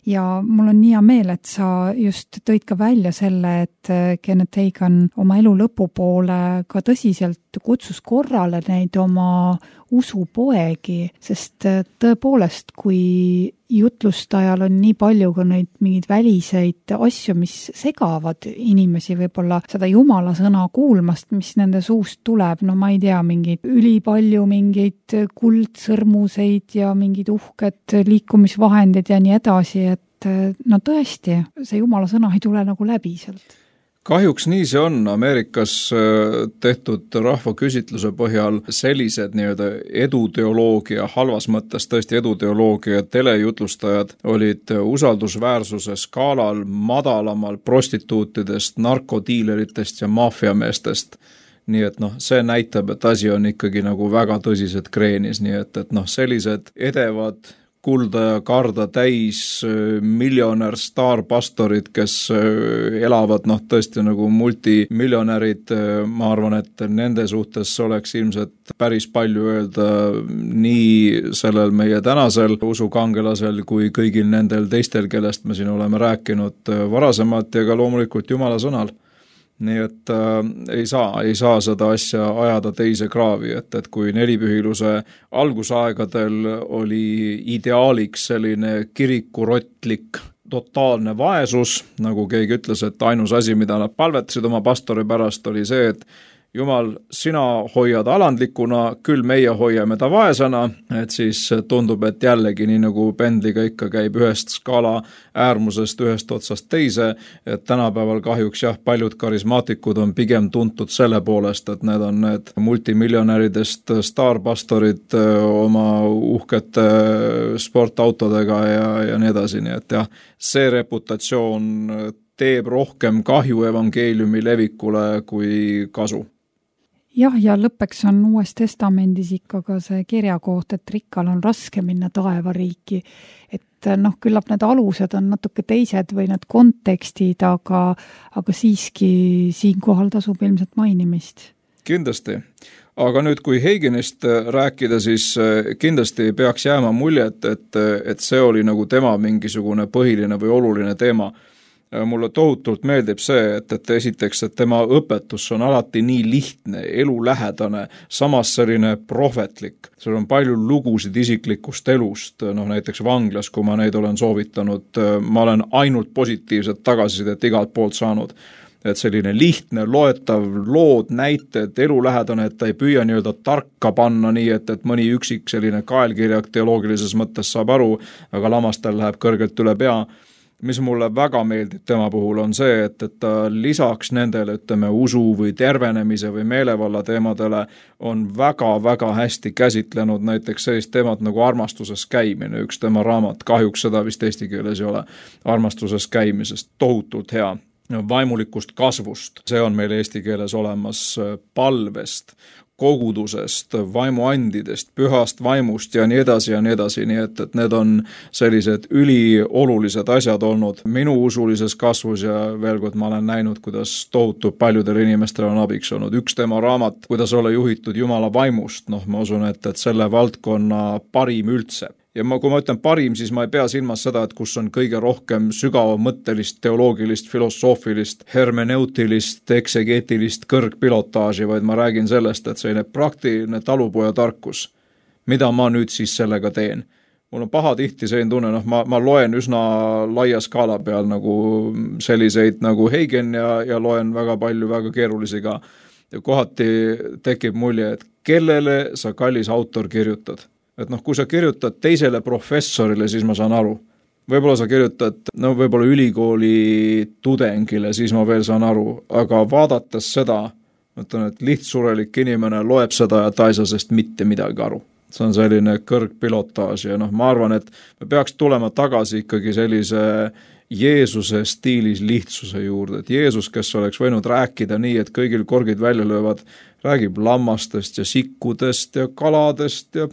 Ja mul on nii hea meel, et sa just tõid ka välja selle, et Kenneth Hagin oma elu lõpupoole ka tõsiselt kutsus korrale neid oma usupoegi, sest tõepoolest, kui jutlustajal on nii palju ka neid mingeid väliseid asju, mis segavad inimesi võib-olla seda Jumala sõna kuulmast, mis nende suust tuleb, no ma ei tea, mingeid ülipalju mingeid kuldsõrmuseid ja mingid uhked liikumisvahendid ja nii edasi, et no tõesti, see Jumala sõna ei tule nagu läbi sealt. Kahjuks nii see on. Ameerikas tehtud rahvaküsitluse põhjal sellised nii-öelda eduteoloogia, halvas mõttes tõesti eduteoloogia telejutlustajad olid usaldusväärsuse skaalal madalamal prostituutidest, narkodiileritest ja maffiameestest. Nii et noh, see näitab, et asi on ikkagi nagu väga tõsised kreenis, nii et, et noh, sellised edevad kulda ja karda täis miljonär staarpastorid, kes elavad noh tõesti nagu multimiljonärid, ma arvan, et nende suhtes oleks ilmselt päris palju öelda nii sellel meie tänasel usukangelasel kui kõigil nendel teistel, kellest me siin oleme rääkinud varasemalt ja ka loomulikult Jumala sõnal. Nii et äh, ei saa, ei saa seda asja ajada teise kraavi, et, et kui nelipühiluse algusaegadel oli ideaaliks selline kirikurotlik totaalne vaesus, nagu keegi ütles, et ainus asi, mida nad palvetasid oma pastori pärast, oli see, et Jumal, sina hoiad alandlikuna, küll meie hoiame ta vaesena, et siis tundub, et jällegi nii nagu pendliga ikka käib ühest skaala äärmusest ühest otsast teise, et tänapäeval kahjuks jah, paljud karismaatikud on pigem tuntud selle poolest, et need on need multimiljonäridest staarpastorid oma uhkete sportautodega ja, ja nii edasi, nii et jah, see reputatsioon teeb rohkem kahju evangeeliumi levikule kui kasu. Jah, ja lõppeks on Uues Testamendis ikka ka see kirjakoht, et rikkal on raske minna taevariiki. Et noh, küllap need alused on natuke teised või need kontekstid, aga, aga siiski siinkohal tasub ilmselt mainimist. Kindlasti. Aga nüüd, kui Haginist rääkida, siis kindlasti peaks jääma muljet, et, et see oli nagu tema mingisugune põhiline või oluline teema. Mulle tohutult meeldib see, et, et esiteks, et tema õpetus on alati nii lihtne, elulähedane, samas selline prohvetlik. Seal on palju lugusid isiklikust elust, noh näiteks vanglas, kui ma neid olen soovitanud, ma olen ainult positiivset tagasisidet igalt poolt saanud. Et selline lihtne, loetav lood, näited, elulähedane, et ta ei püüa nii-öelda tarka panna nii, et, et mõni üksik selline kaelkirjak teoloogilises mõttes saab aru, aga lamastel läheb kõrgelt üle pea. mis mulle väga meeldib tema puhul, on see, et, et ta lisaks nendele, ütleme, usu või tervenemise või meelevalla teemadele on väga-väga hästi käsitlenud näiteks sellist teemat nagu armastuses käimine. Üks tema raamat, kahjuks seda vist eesti keeles ei ole, armastuses käimisest, tohutult hea. Vaimulikust kasvust, see on meil eesti keeles olemas, palvest, kogudusest, vaimuandidest, pühast vaimust ja nii edasi ja nii edasi, nii et, et need on sellised üliolulised asjad olnud minu usulises kasvus ja veel kord ma olen näinud, kuidas tohutult paljudel inimestel on abiks olnud. Üks tema raamat, kuidas olla juhitud Jumala vaimust, noh ma usun, et, et selle valdkonna parim üldse. Ja ma, kui ma ütlen parim, siis ma ei pea silmas seda, et kus on kõige rohkem sügavamõttelist, teoloogilist, filosoofilist, hermeneutilist, eksegeetilist kõrgpilotaaži, vaid ma räägin sellest, et selline praktiline talupoja tarkus, mida ma nüüd siis sellega teen. Mul on paha tihti selline tunne, noh ma, ma loen üsna laia skaala peal nagu selliseid nagu Heigen ja, ja loen väga palju väga keerulisi ka. Ja kohati tekib mulje, et kellele sa kallis autor kirjutad. Et noh, kui sa kirjutad teisele professorile, siis ma saan aru. Võib-olla sa kirjutad, no võib-olla ülikooli tudengile, siis ma veel saan aru. Aga vaadates seda, mõtlen, et lihtsurelik inimene loeb seda ja ta ei saa sest mitte midagi aru. See on selline kõrgpilotaaž ja noh, ma arvan, et me peaks tulema tagasi ikkagi sellise Jeesuse stiilis lihtsuse juurde. Et Jeesus, kes oleks võinud rääkida nii, et kõigil korgid välja löövad, räägib lammastest ja sikkudest ja kaladest ja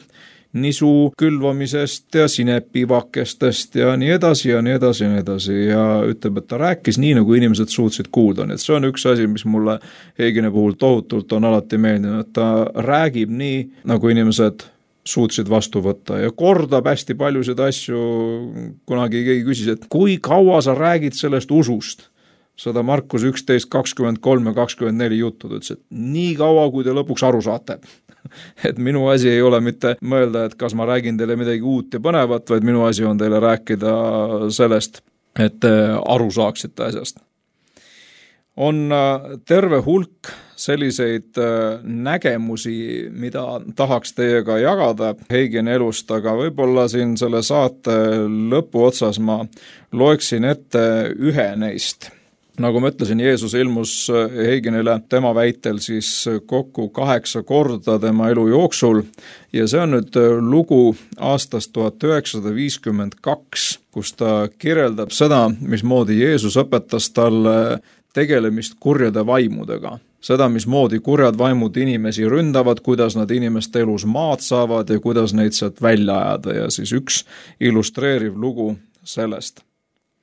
nisu külvamisest ja sinepivakestest ja nii edasi ja nii edasi ja nii edasi ja ütleb, et ta rääkis nii, nagu inimesed suutsid kuulda. Nii et see on üks asi, mis mulle Heigeni puhul tohutult on alati meeldinud, et ta räägib nii, nagu inimesed suutsid vastu võtta ja kordab hästi paljusid asju. Kunagi keegi küsis, et kui kaua sa räägid sellest usust? Seda Markus üksteist, kakskümmend kolm ja kakskümmend neli juttu, ütles, et nii kaua, kui te lõpuks aru saate. Et minu asi ei ole mitte mõelda, et kas ma räägin teile midagi uut ja põnevat, vaid minu asi on teile rääkida sellest, et aru saaksite asjast. On terve hulk selliseid nägemusi, mida tahaks teiega jagada Heigeni elust, aga võib-olla siin selle saate lõpu otsas ma loeksin ette ühe neist. Nagu ma ütlesin, Jeesus ilmus Heigenile tema väitel siis kokku kaheksa korda tema elu jooksul ja see on nüüd lugu aastast tuhat üheksasada viiskümmend kaks, kus ta kirjeldab seda, mismoodi Jeesus õpetas talle tegelemist kurjade vaimudega. Seda, mismoodi kurjad vaimud inimesi ründavad, kuidas nad inimeste elus maad saavad ja kuidas neid sealt välja ajada ja siis üks illustreeriv lugu sellest.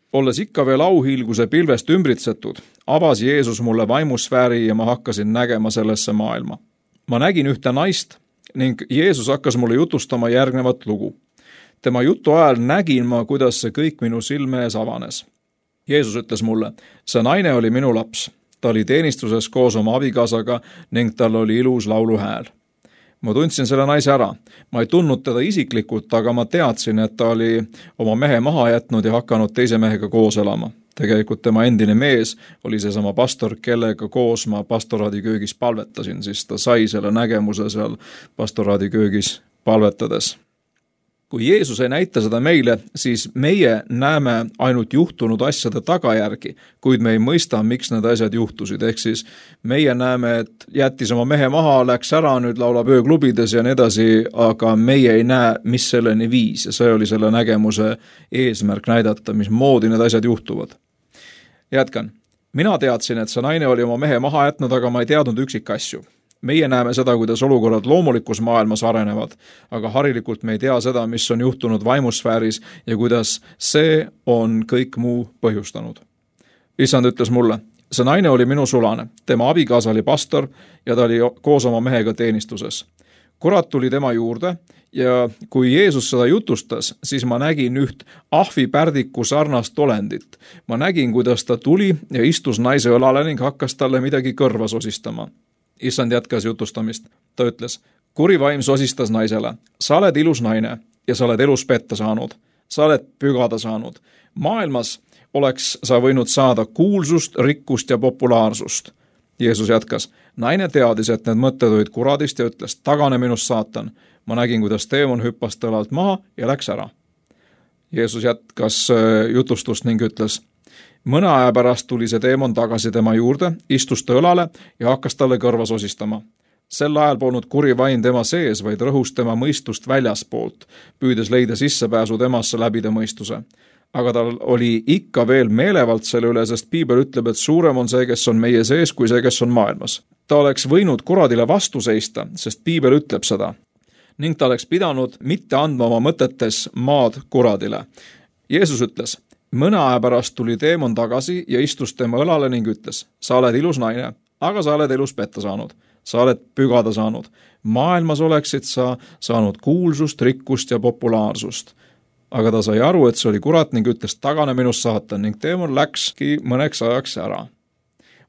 Olles ikka veel auhiilguse pilvest ümbritsetud, avas Jeesus mulle vaimusfääri ja ma hakkasin nägema sellesse maailma. Ma nägin ühte naist ning Jeesus hakkas mulle jutustama järgnevat lugu. Tema jutu ajal nägin ma, kuidas see kõik minu silme ees avanes. Jeesus ütles mulle, see naine oli minu laps. Ta oli teenistuses koos oma abikaasaga ning tal oli ilus lauluhääl. Ma tundsin selle naise ära. Ma ei tundnud teda isiklikult, aga ma teadsin, et ta oli oma mehe maha jätnud ja hakanud teise mehega koos elama. Tegelikult tema endine mees oli seesama pastor, kellega koos ma pastoraadi köögis palvetasin, siis ta sai selle nägemuse seal pastoraadi köögis palvetades. Kui Jeesus ei näita seda meile, siis meie näeme ainult juhtunud asjade tagajärgi, kuid me ei mõista, miks need asjad juhtusid. Ehk siis meie näeme, et jättis oma mehe maha, läks ära, nüüd laulab ööklubides ja nii edasi, aga meie ei näe, mis selleni viis. Ja see oli selle nägemuse eesmärk näidata, mismoodi need asjad juhtuvad. Jätkan. Mina teadsin, et see naine oli oma mehe maha jätnud, aga ma ei teadnud üksik asju. Meie näeme seda, kuidas olukorrad loomulikus maailmas arenevad, aga harilikult me ei tea seda, mis on juhtunud vaimusfääris ja kuidas see on kõik muu põhjustanud. Issand ütles mulle, see naine oli minu sulane, tema abikaasa oli pastor ja ta oli koos oma mehega teenistuses. Kurat tuli tema juurde ja kui Jeesus seda jutustas, siis ma nägin üht ahvipärdiku sarnast olendit. Ma nägin, kuidas ta tuli ja istus naise õlale ning hakkas talle midagi kõrva sosistama. Issand jätkas jutustamist. Ta ütles, kuri vaim sosistas naisele. Sa oled ilus naine ja sa oled elus petta saanud. Sa oled pügada saanud. Maailmas oleks sa võinud saada kuulsust, rikkust ja populaarsust. Jeesus jätkas. Naine teadis, et need mõtted olid kuradist ja ütles, tagane minust saatan. Ma nägin, kuidas teemon hüppas tõlalt maha ja läks ära. Jeesus jätkas jutustust ning ütles: mõne aja pärast tuli see teemon tagasi tema juurde, istus ta õlale ja hakkas talle kõrva sosistama. Sel ajal polnud kuri vaim tema sees, vaid rõhus tema mõistust väljaspoolt, püüdes leida sissepääsu temasse läbi ta mõistuse. Aga tal oli ikka veel meelevald selle üle, sest piibel ütleb, et suurem on see, kes on meie sees, kui see, kes on maailmas. Ta oleks võinud kuradile vastu seista, sest piibel ütleb seda. Ning ta oleks pidanud mitte andma oma mõtetes maad kuradile. Jeesus ütles: mõne aja pärast tuli teemon tagasi ja istus tema õlale ning ütles: sa oled ilus naine, aga sa oled elus petta saanud. Sa oled pügada saanud. Maailmas oleksid sa saanud kuulsust, rikkust ja populaarsust. Aga ta sai aru, et see oli kurat ning ütles: tagane minust, saatan, ning teemon läkski mõneks ajaks ära.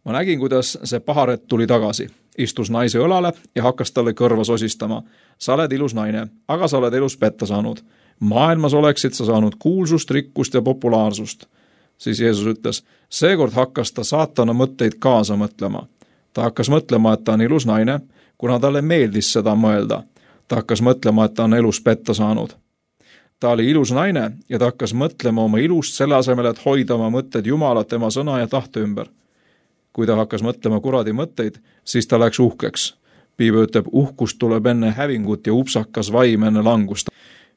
Ma nägin, kuidas see paharet tuli tagasi, istus naise õlale ja hakkas talle kõrva sosistama. Sa oled ilus naine, aga sa oled elus petta saanud. Maailmas oleksid sa saanud kuulsust, rikkust ja populaarsust. Siis Jeesus ütles: seekord hakkas ta saatana mõtteid kaasa mõtlema. Ta hakkas mõtlema, et ta on ilus naine, kuna talle meeldis seda mõelda. Ta hakkas mõtlema, et ta on elus petta saanud. Ta oli ilus naine ja ta hakkas mõtlema oma ilust selle asemel, et hoida oma mõtted Jumalat, tema sõna ja tahte ümber. Kui ta hakkas mõtlema kuradi mõtteid, siis ta läks uhkeks. Piibel ütleb, uhkust tuleb enne hävingut ja upsakas vaim enne langust.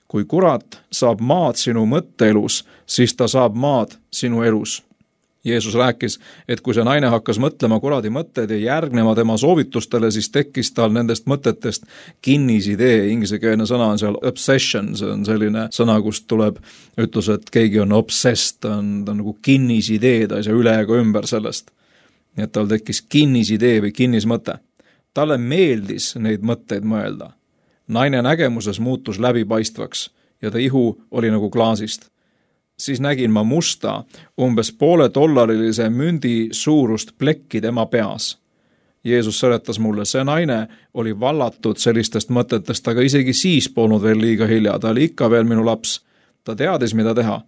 Kui kurat saab maad sinu mõtteelus, siis ta saab maad sinu elus. Jeesus rääkis, et kui see naine hakkas mõtlema kuradi mõtteid ja järgnema tema soovitustele, siis tekkis tal nendest mõtetest kinnisidee. Ingliskeelne sõna on seal obsession, see on selline sõna, kust tuleb ütlus, et keegi on obsessed, ta on, ta on nagu kinnisidee, ta ei saa üle ega ümber sellest. Nii et tal tekkis kinnisidee või kinnismõte. Talle meeldis neid mõtteid mõelda. Naine nägemuses muutus läbipaistvaks ja ta ihu oli nagu klaasist. Siis nägin ma musta, umbes poole dollarilise mündi suurust plekki tema peas. Jeesus seletas mulle, see naine oli vallatud sellistest mõtetest, aga isegi siis polnud veel liiga hilja, ta oli ikka veel minu laps. Ta teadis, mida teha.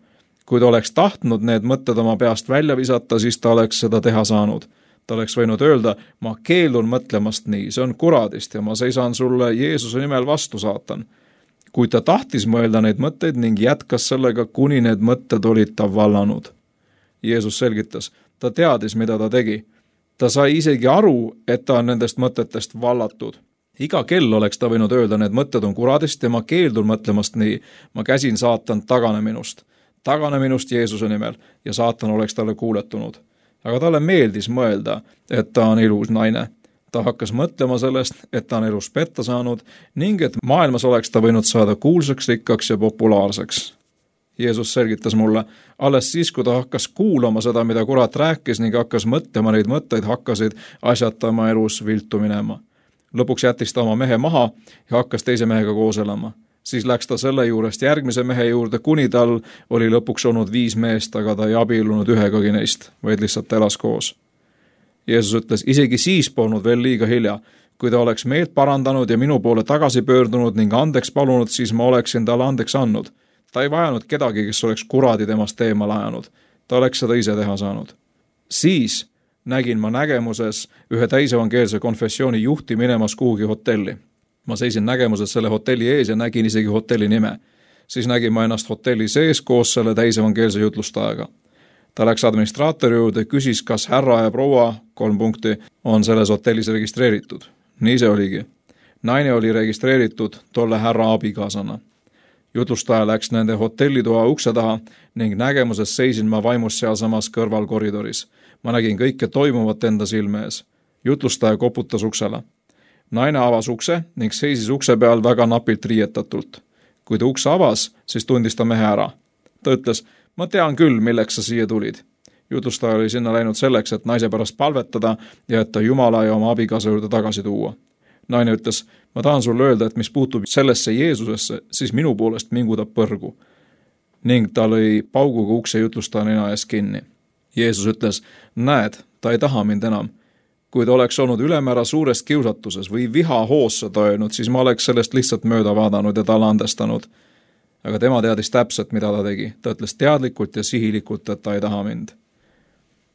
Kui ta oleks tahtnud need mõtted oma peast välja visata, siis ta oleks seda teha saanud. Ta oleks võinud öelda, ma keeldun mõtlemast nii, see on kuradist ja ma seisan sulle Jeesuse nimel vastu, saatan. Kui ta tahtis mõelda neid mõtteid ning jätkas sellega, kuni need mõtted olid ta vallanud. Jeesus selgitas, ta teadis, mida ta tegi. Ta sai isegi aru, et ta on nendest mõtetest vallatud. Iga kell oleks ta võinud öelda, need mõtted on kuradist ja ma keeldun mõtlemast nii. Ma käsin saatan tagane minust. Tagane minust Jeesuse nimel ja saatan oleks talle kuuletunud. Aga talle meeldis mõelda, et ta on ilus naine. Ta hakkas mõtlema sellest, et ta on elus petta saanud ning et maailmas oleks ta võinud saada kuulsaks, rikkaks ja populaarseks. Jeesus selgitas mulle, alles siis, kui ta hakkas kuulama seda, mida kurat rääkis ning hakkas mõtlema neid mõtteid, hakkasid asjad tema elus viltu minema. Lõpuks jättis ta oma mehe maha ja hakkas teise mehega koos elama. Siis läks ta selle juurest järgmise mehe juurde, kuni tal oli lõpuks olnud viis meest, aga ta ei abiellunud ühegagi neist, vaid lihtsalt elas koos. Jeesus ütles, isegi siis polnud veel liiga hilja. Kui ta oleks meelt parandanud ja minu poole tagasi pöördunud ning andeks palunud, siis ma oleksin talle andeks andnud. Ta ei vajanud kedagi, kes oleks kuradi temast teemal ajanud. Ta oleks seda ise teha saanud. Siis nägin ma nägemuses ühe täisevangeelse konfessiooni juhti minemas kuhugi hotelli. Ma seisin nägemuses selle hotelli ees ja nägin isegi hotelli nime. Siis nägin ma ennast hotelli sees koos selle täisevangeelse jutlustajaga. Ta läks administraatori juurde, küsis, kas härra ja proua, kolm punkti, on selles hotellis registreeritud. Nii see oligi. Naine oli registreeritud tolle härra abikaasana. Jutlustaja läks nende hotellitoa ukse taha ning nägemuses seisin ma vaimus sealsamas kõrval koridoris. Ma nägin kõike toimuvat enda silme ees. Jutlustaja koputas uksele. Naine avas ukse ning seisis ukse peal väga napilt riietatult. Kui ta ukse avas, siis tundis ta mehe ära. Ta ütles, ma tean küll, milleks sa siia tulid. Jutlustaja oli sinna läinud selleks, et naise pärast palvetada ja et ta Jumala ja oma abikaasa juurde tagasi tuua. Naine ütles, ma tahan sulle öelda, et mis puutub sellesse Jeesusesse, siis minu poolest mingu ta põrgu. Ning ta lõi pauguga ukse jutlustaja nina ees kinni. Jeesus ütles, näed, ta ei taha mind enam. Kui ta oleks olnud ülemäära suures kiusatuses või viha hoossa toinud, siis ma oleks sellest lihtsalt mööda vaadanud ja talle andestanud. Aga tema teadis täpselt, mida ta tegi. Ta ütles teadlikult ja sihilikult, et ta ei taha mind.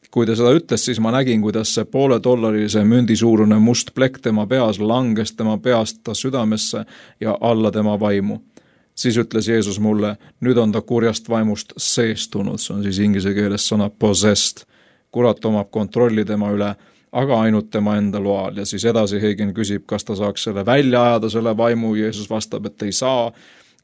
Kui ta seda ütles, siis ma nägin, kuidas see poole dollarilise mündi suurune must plekk tema peas langes tema peast ta südamesse ja alla tema vaimu. siis ütles Jeesus mulle, nüüd on ta kurjast vaimust seestunud, see on siis inglise keeles sõna possessed. Kurat omab kontrolli tema üle, aga ainult tema enda loal. Ja siis edasi Hagen küsib, kas ta saaks selle välja ajada, selle vaimu, Jeesus vastab, et ei saa.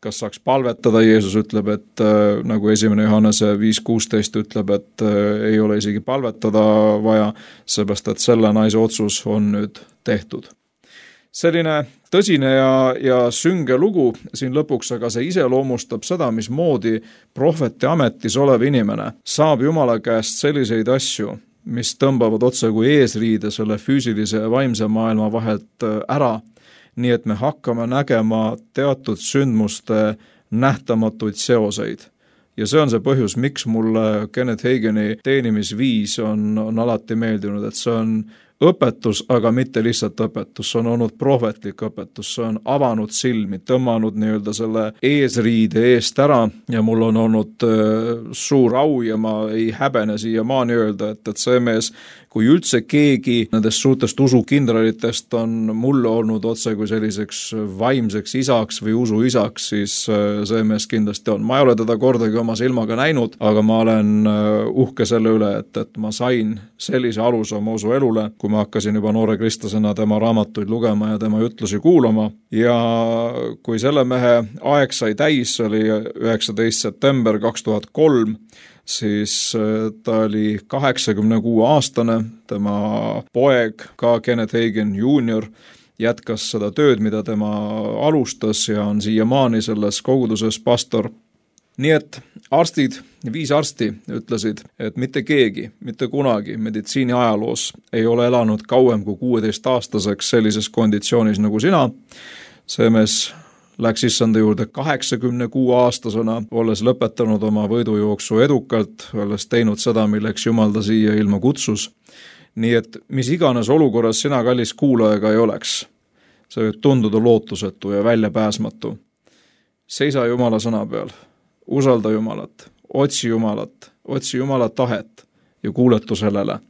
Kas saaks palvetada, Jeesus ütleb, et äh, nagu esimene Johannese viis kuusteist ütleb, et äh, ei ole isegi palvetada vaja, seepärast et selle naise otsus on nüüd tehtud. Selline tõsine ja, ja sünge lugu siin lõpuks, aga see iseloomustab seda, mismoodi prohveti ametis olev inimene saab Jumala käest selliseid asju, mis tõmbavad otse kui eesriide selle füüsilise ja vaimse maailma vahelt ära, nii et me hakkame nägema teatud sündmuste nähtamatuid seoseid. Ja see on see põhjus, miks mulle Kenneth Hageni teenimisviis on, on alati meeldinud, et see on õpetus, aga mitte lihtsalt õpetus, see on olnud prohvetlik õpetus, see on avanud silmi, tõmmanud nii-öelda selle eesriide eest ära ja mul on olnud äh, suur au ja ma ei häbene siiamaani öelda, et, et see mees, kui üldse keegi nendest suurtest usukindralitest on mulle olnud otse kui selliseks vaimseks isaks või usuisaks, siis see mees kindlasti on. Ma ei ole teda kordagi oma silmaga näinud, aga ma olen uhke selle üle, et, et ma sain sellise aluse oma usu elule, kui ma hakkasin juba noore kristlasena tema raamatuid lugema ja tema jutlusi kuulama. Ja kui selle mehe aeg sai täis, oli üheksateistkümnes september kaks tuhat kolm, siis ta oli kaheksakümne kuue aastane, tema poeg, ka Kenneth Hagen juunior, jätkas seda tööd, mida tema alustas ja on siiamaani selles koguduses pastor. Nii et arstid, viis arsti ütlesid, et mitte keegi, mitte kunagi meditsiini ajaloos ei ole elanud kauem kui kuueteist aastaseks sellises konditsioonis nagu sina. See mees läks issanda juurde kaheksakümne kuue aastasena, olles lõpetanud oma võidujooksu edukalt, olles teinud seda, milleks Jumal ta siia ilma kutsus. Nii et mis iganes olukorras sina kallis kuulajaga ei oleks, see võib tunduda lootusetu ja väljapääsmatu. Seisa Jumala sõna peal, usalda Jumalat, otsi Jumalat, otsi Jumala tahet ja kuuletu sellele.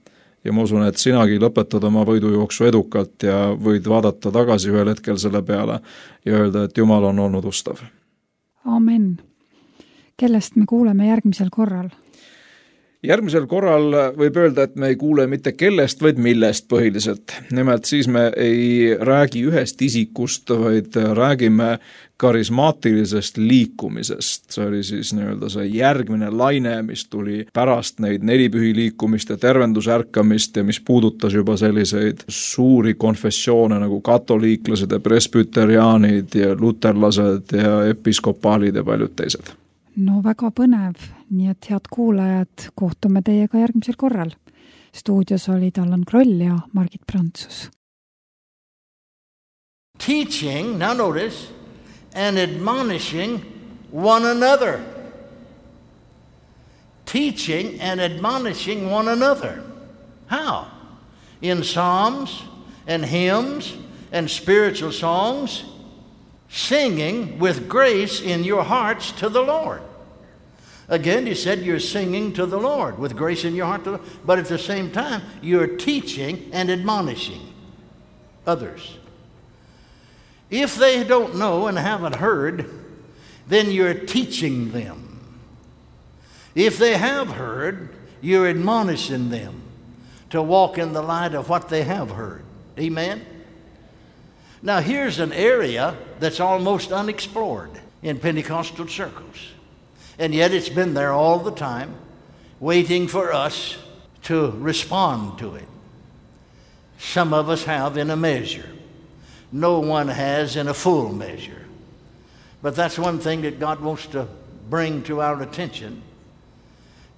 Ja ma usun, et sinagi lõpetad oma võidujooksu edukalt ja võid vaadata tagasi ühel hetkel selle peale ja öelda, et Jumal on olnud ustav. Amen. Kellest me kuuleme järgmisel korral? Järgmisel korral võib öelda, et me ei kuule mitte kellest, vaid millest põhiliselt. Nimelt siis me ei räägi ühest isikust, vaid räägime karismaatilisest liikumisest. See oli siis nii-öelda see järgmine laine, mis tuli pärast neid nelipühi liikumist ja tervendusärkamist ja mis puudutas juba selliseid suuri konfessioone nagu katoliiklased ja presbyteriaanid ja luterlased ja episkopaalid ja paljud teised. No väga põnev, nii et head kuulajad, kohtume teiega järgmisel korral. Stuudios olid Allan Kroll ja Margit Prantsus. Teaching, now notice, and admonishing one another. Teaching and admonishing one another. How? In psalms and hymns and spiritual songs, singing with grace in your hearts to the Lord. Again, he said you're singing to the Lord with grace in your heart, to the, but at the same time, you're teaching and admonishing others. If they don't know and haven't heard, then you're teaching them. If they have heard, you're admonishing them to walk in the light of what they have heard. Amen? Now, here's an area that's almost unexplored in Pentecostal circles. And yet it's been there all the time, waiting for us to respond to it. Some of us have in a measure. No one has in a full measure. But that's one thing that God wants to bring to our attention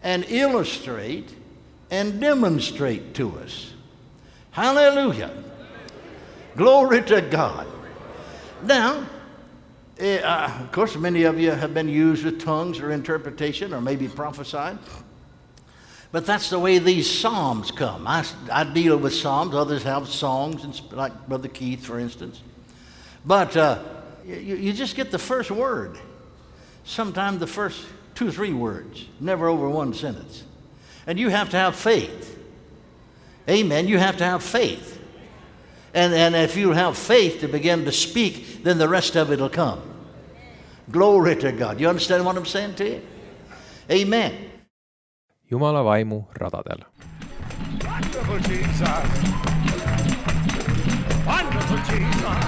and illustrate and demonstrate to us. Hallelujah. Glory to God. Now, uh, of course, many of you have been used with tongues or interpretation or maybe prophesied. But that's the way these psalms come. I, I deal with psalms. Others have songs, like Brother Keith, for instance. But uh, you, you just get the first word. Sometimes the first two or three words, never over one sentence. And you have to have faith. Amen. You have to have faith. And, and if you have faith to begin to speak, then the rest of it will come. Glory to God. You understand what I'm saying to you? Amen. Jumala vaimu radadel. Wonderful Jesus. Wonderful Jesus.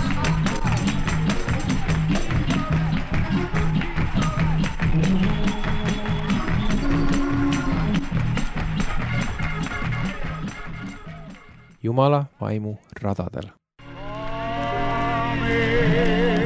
Jumala vaimu radadel. Amen.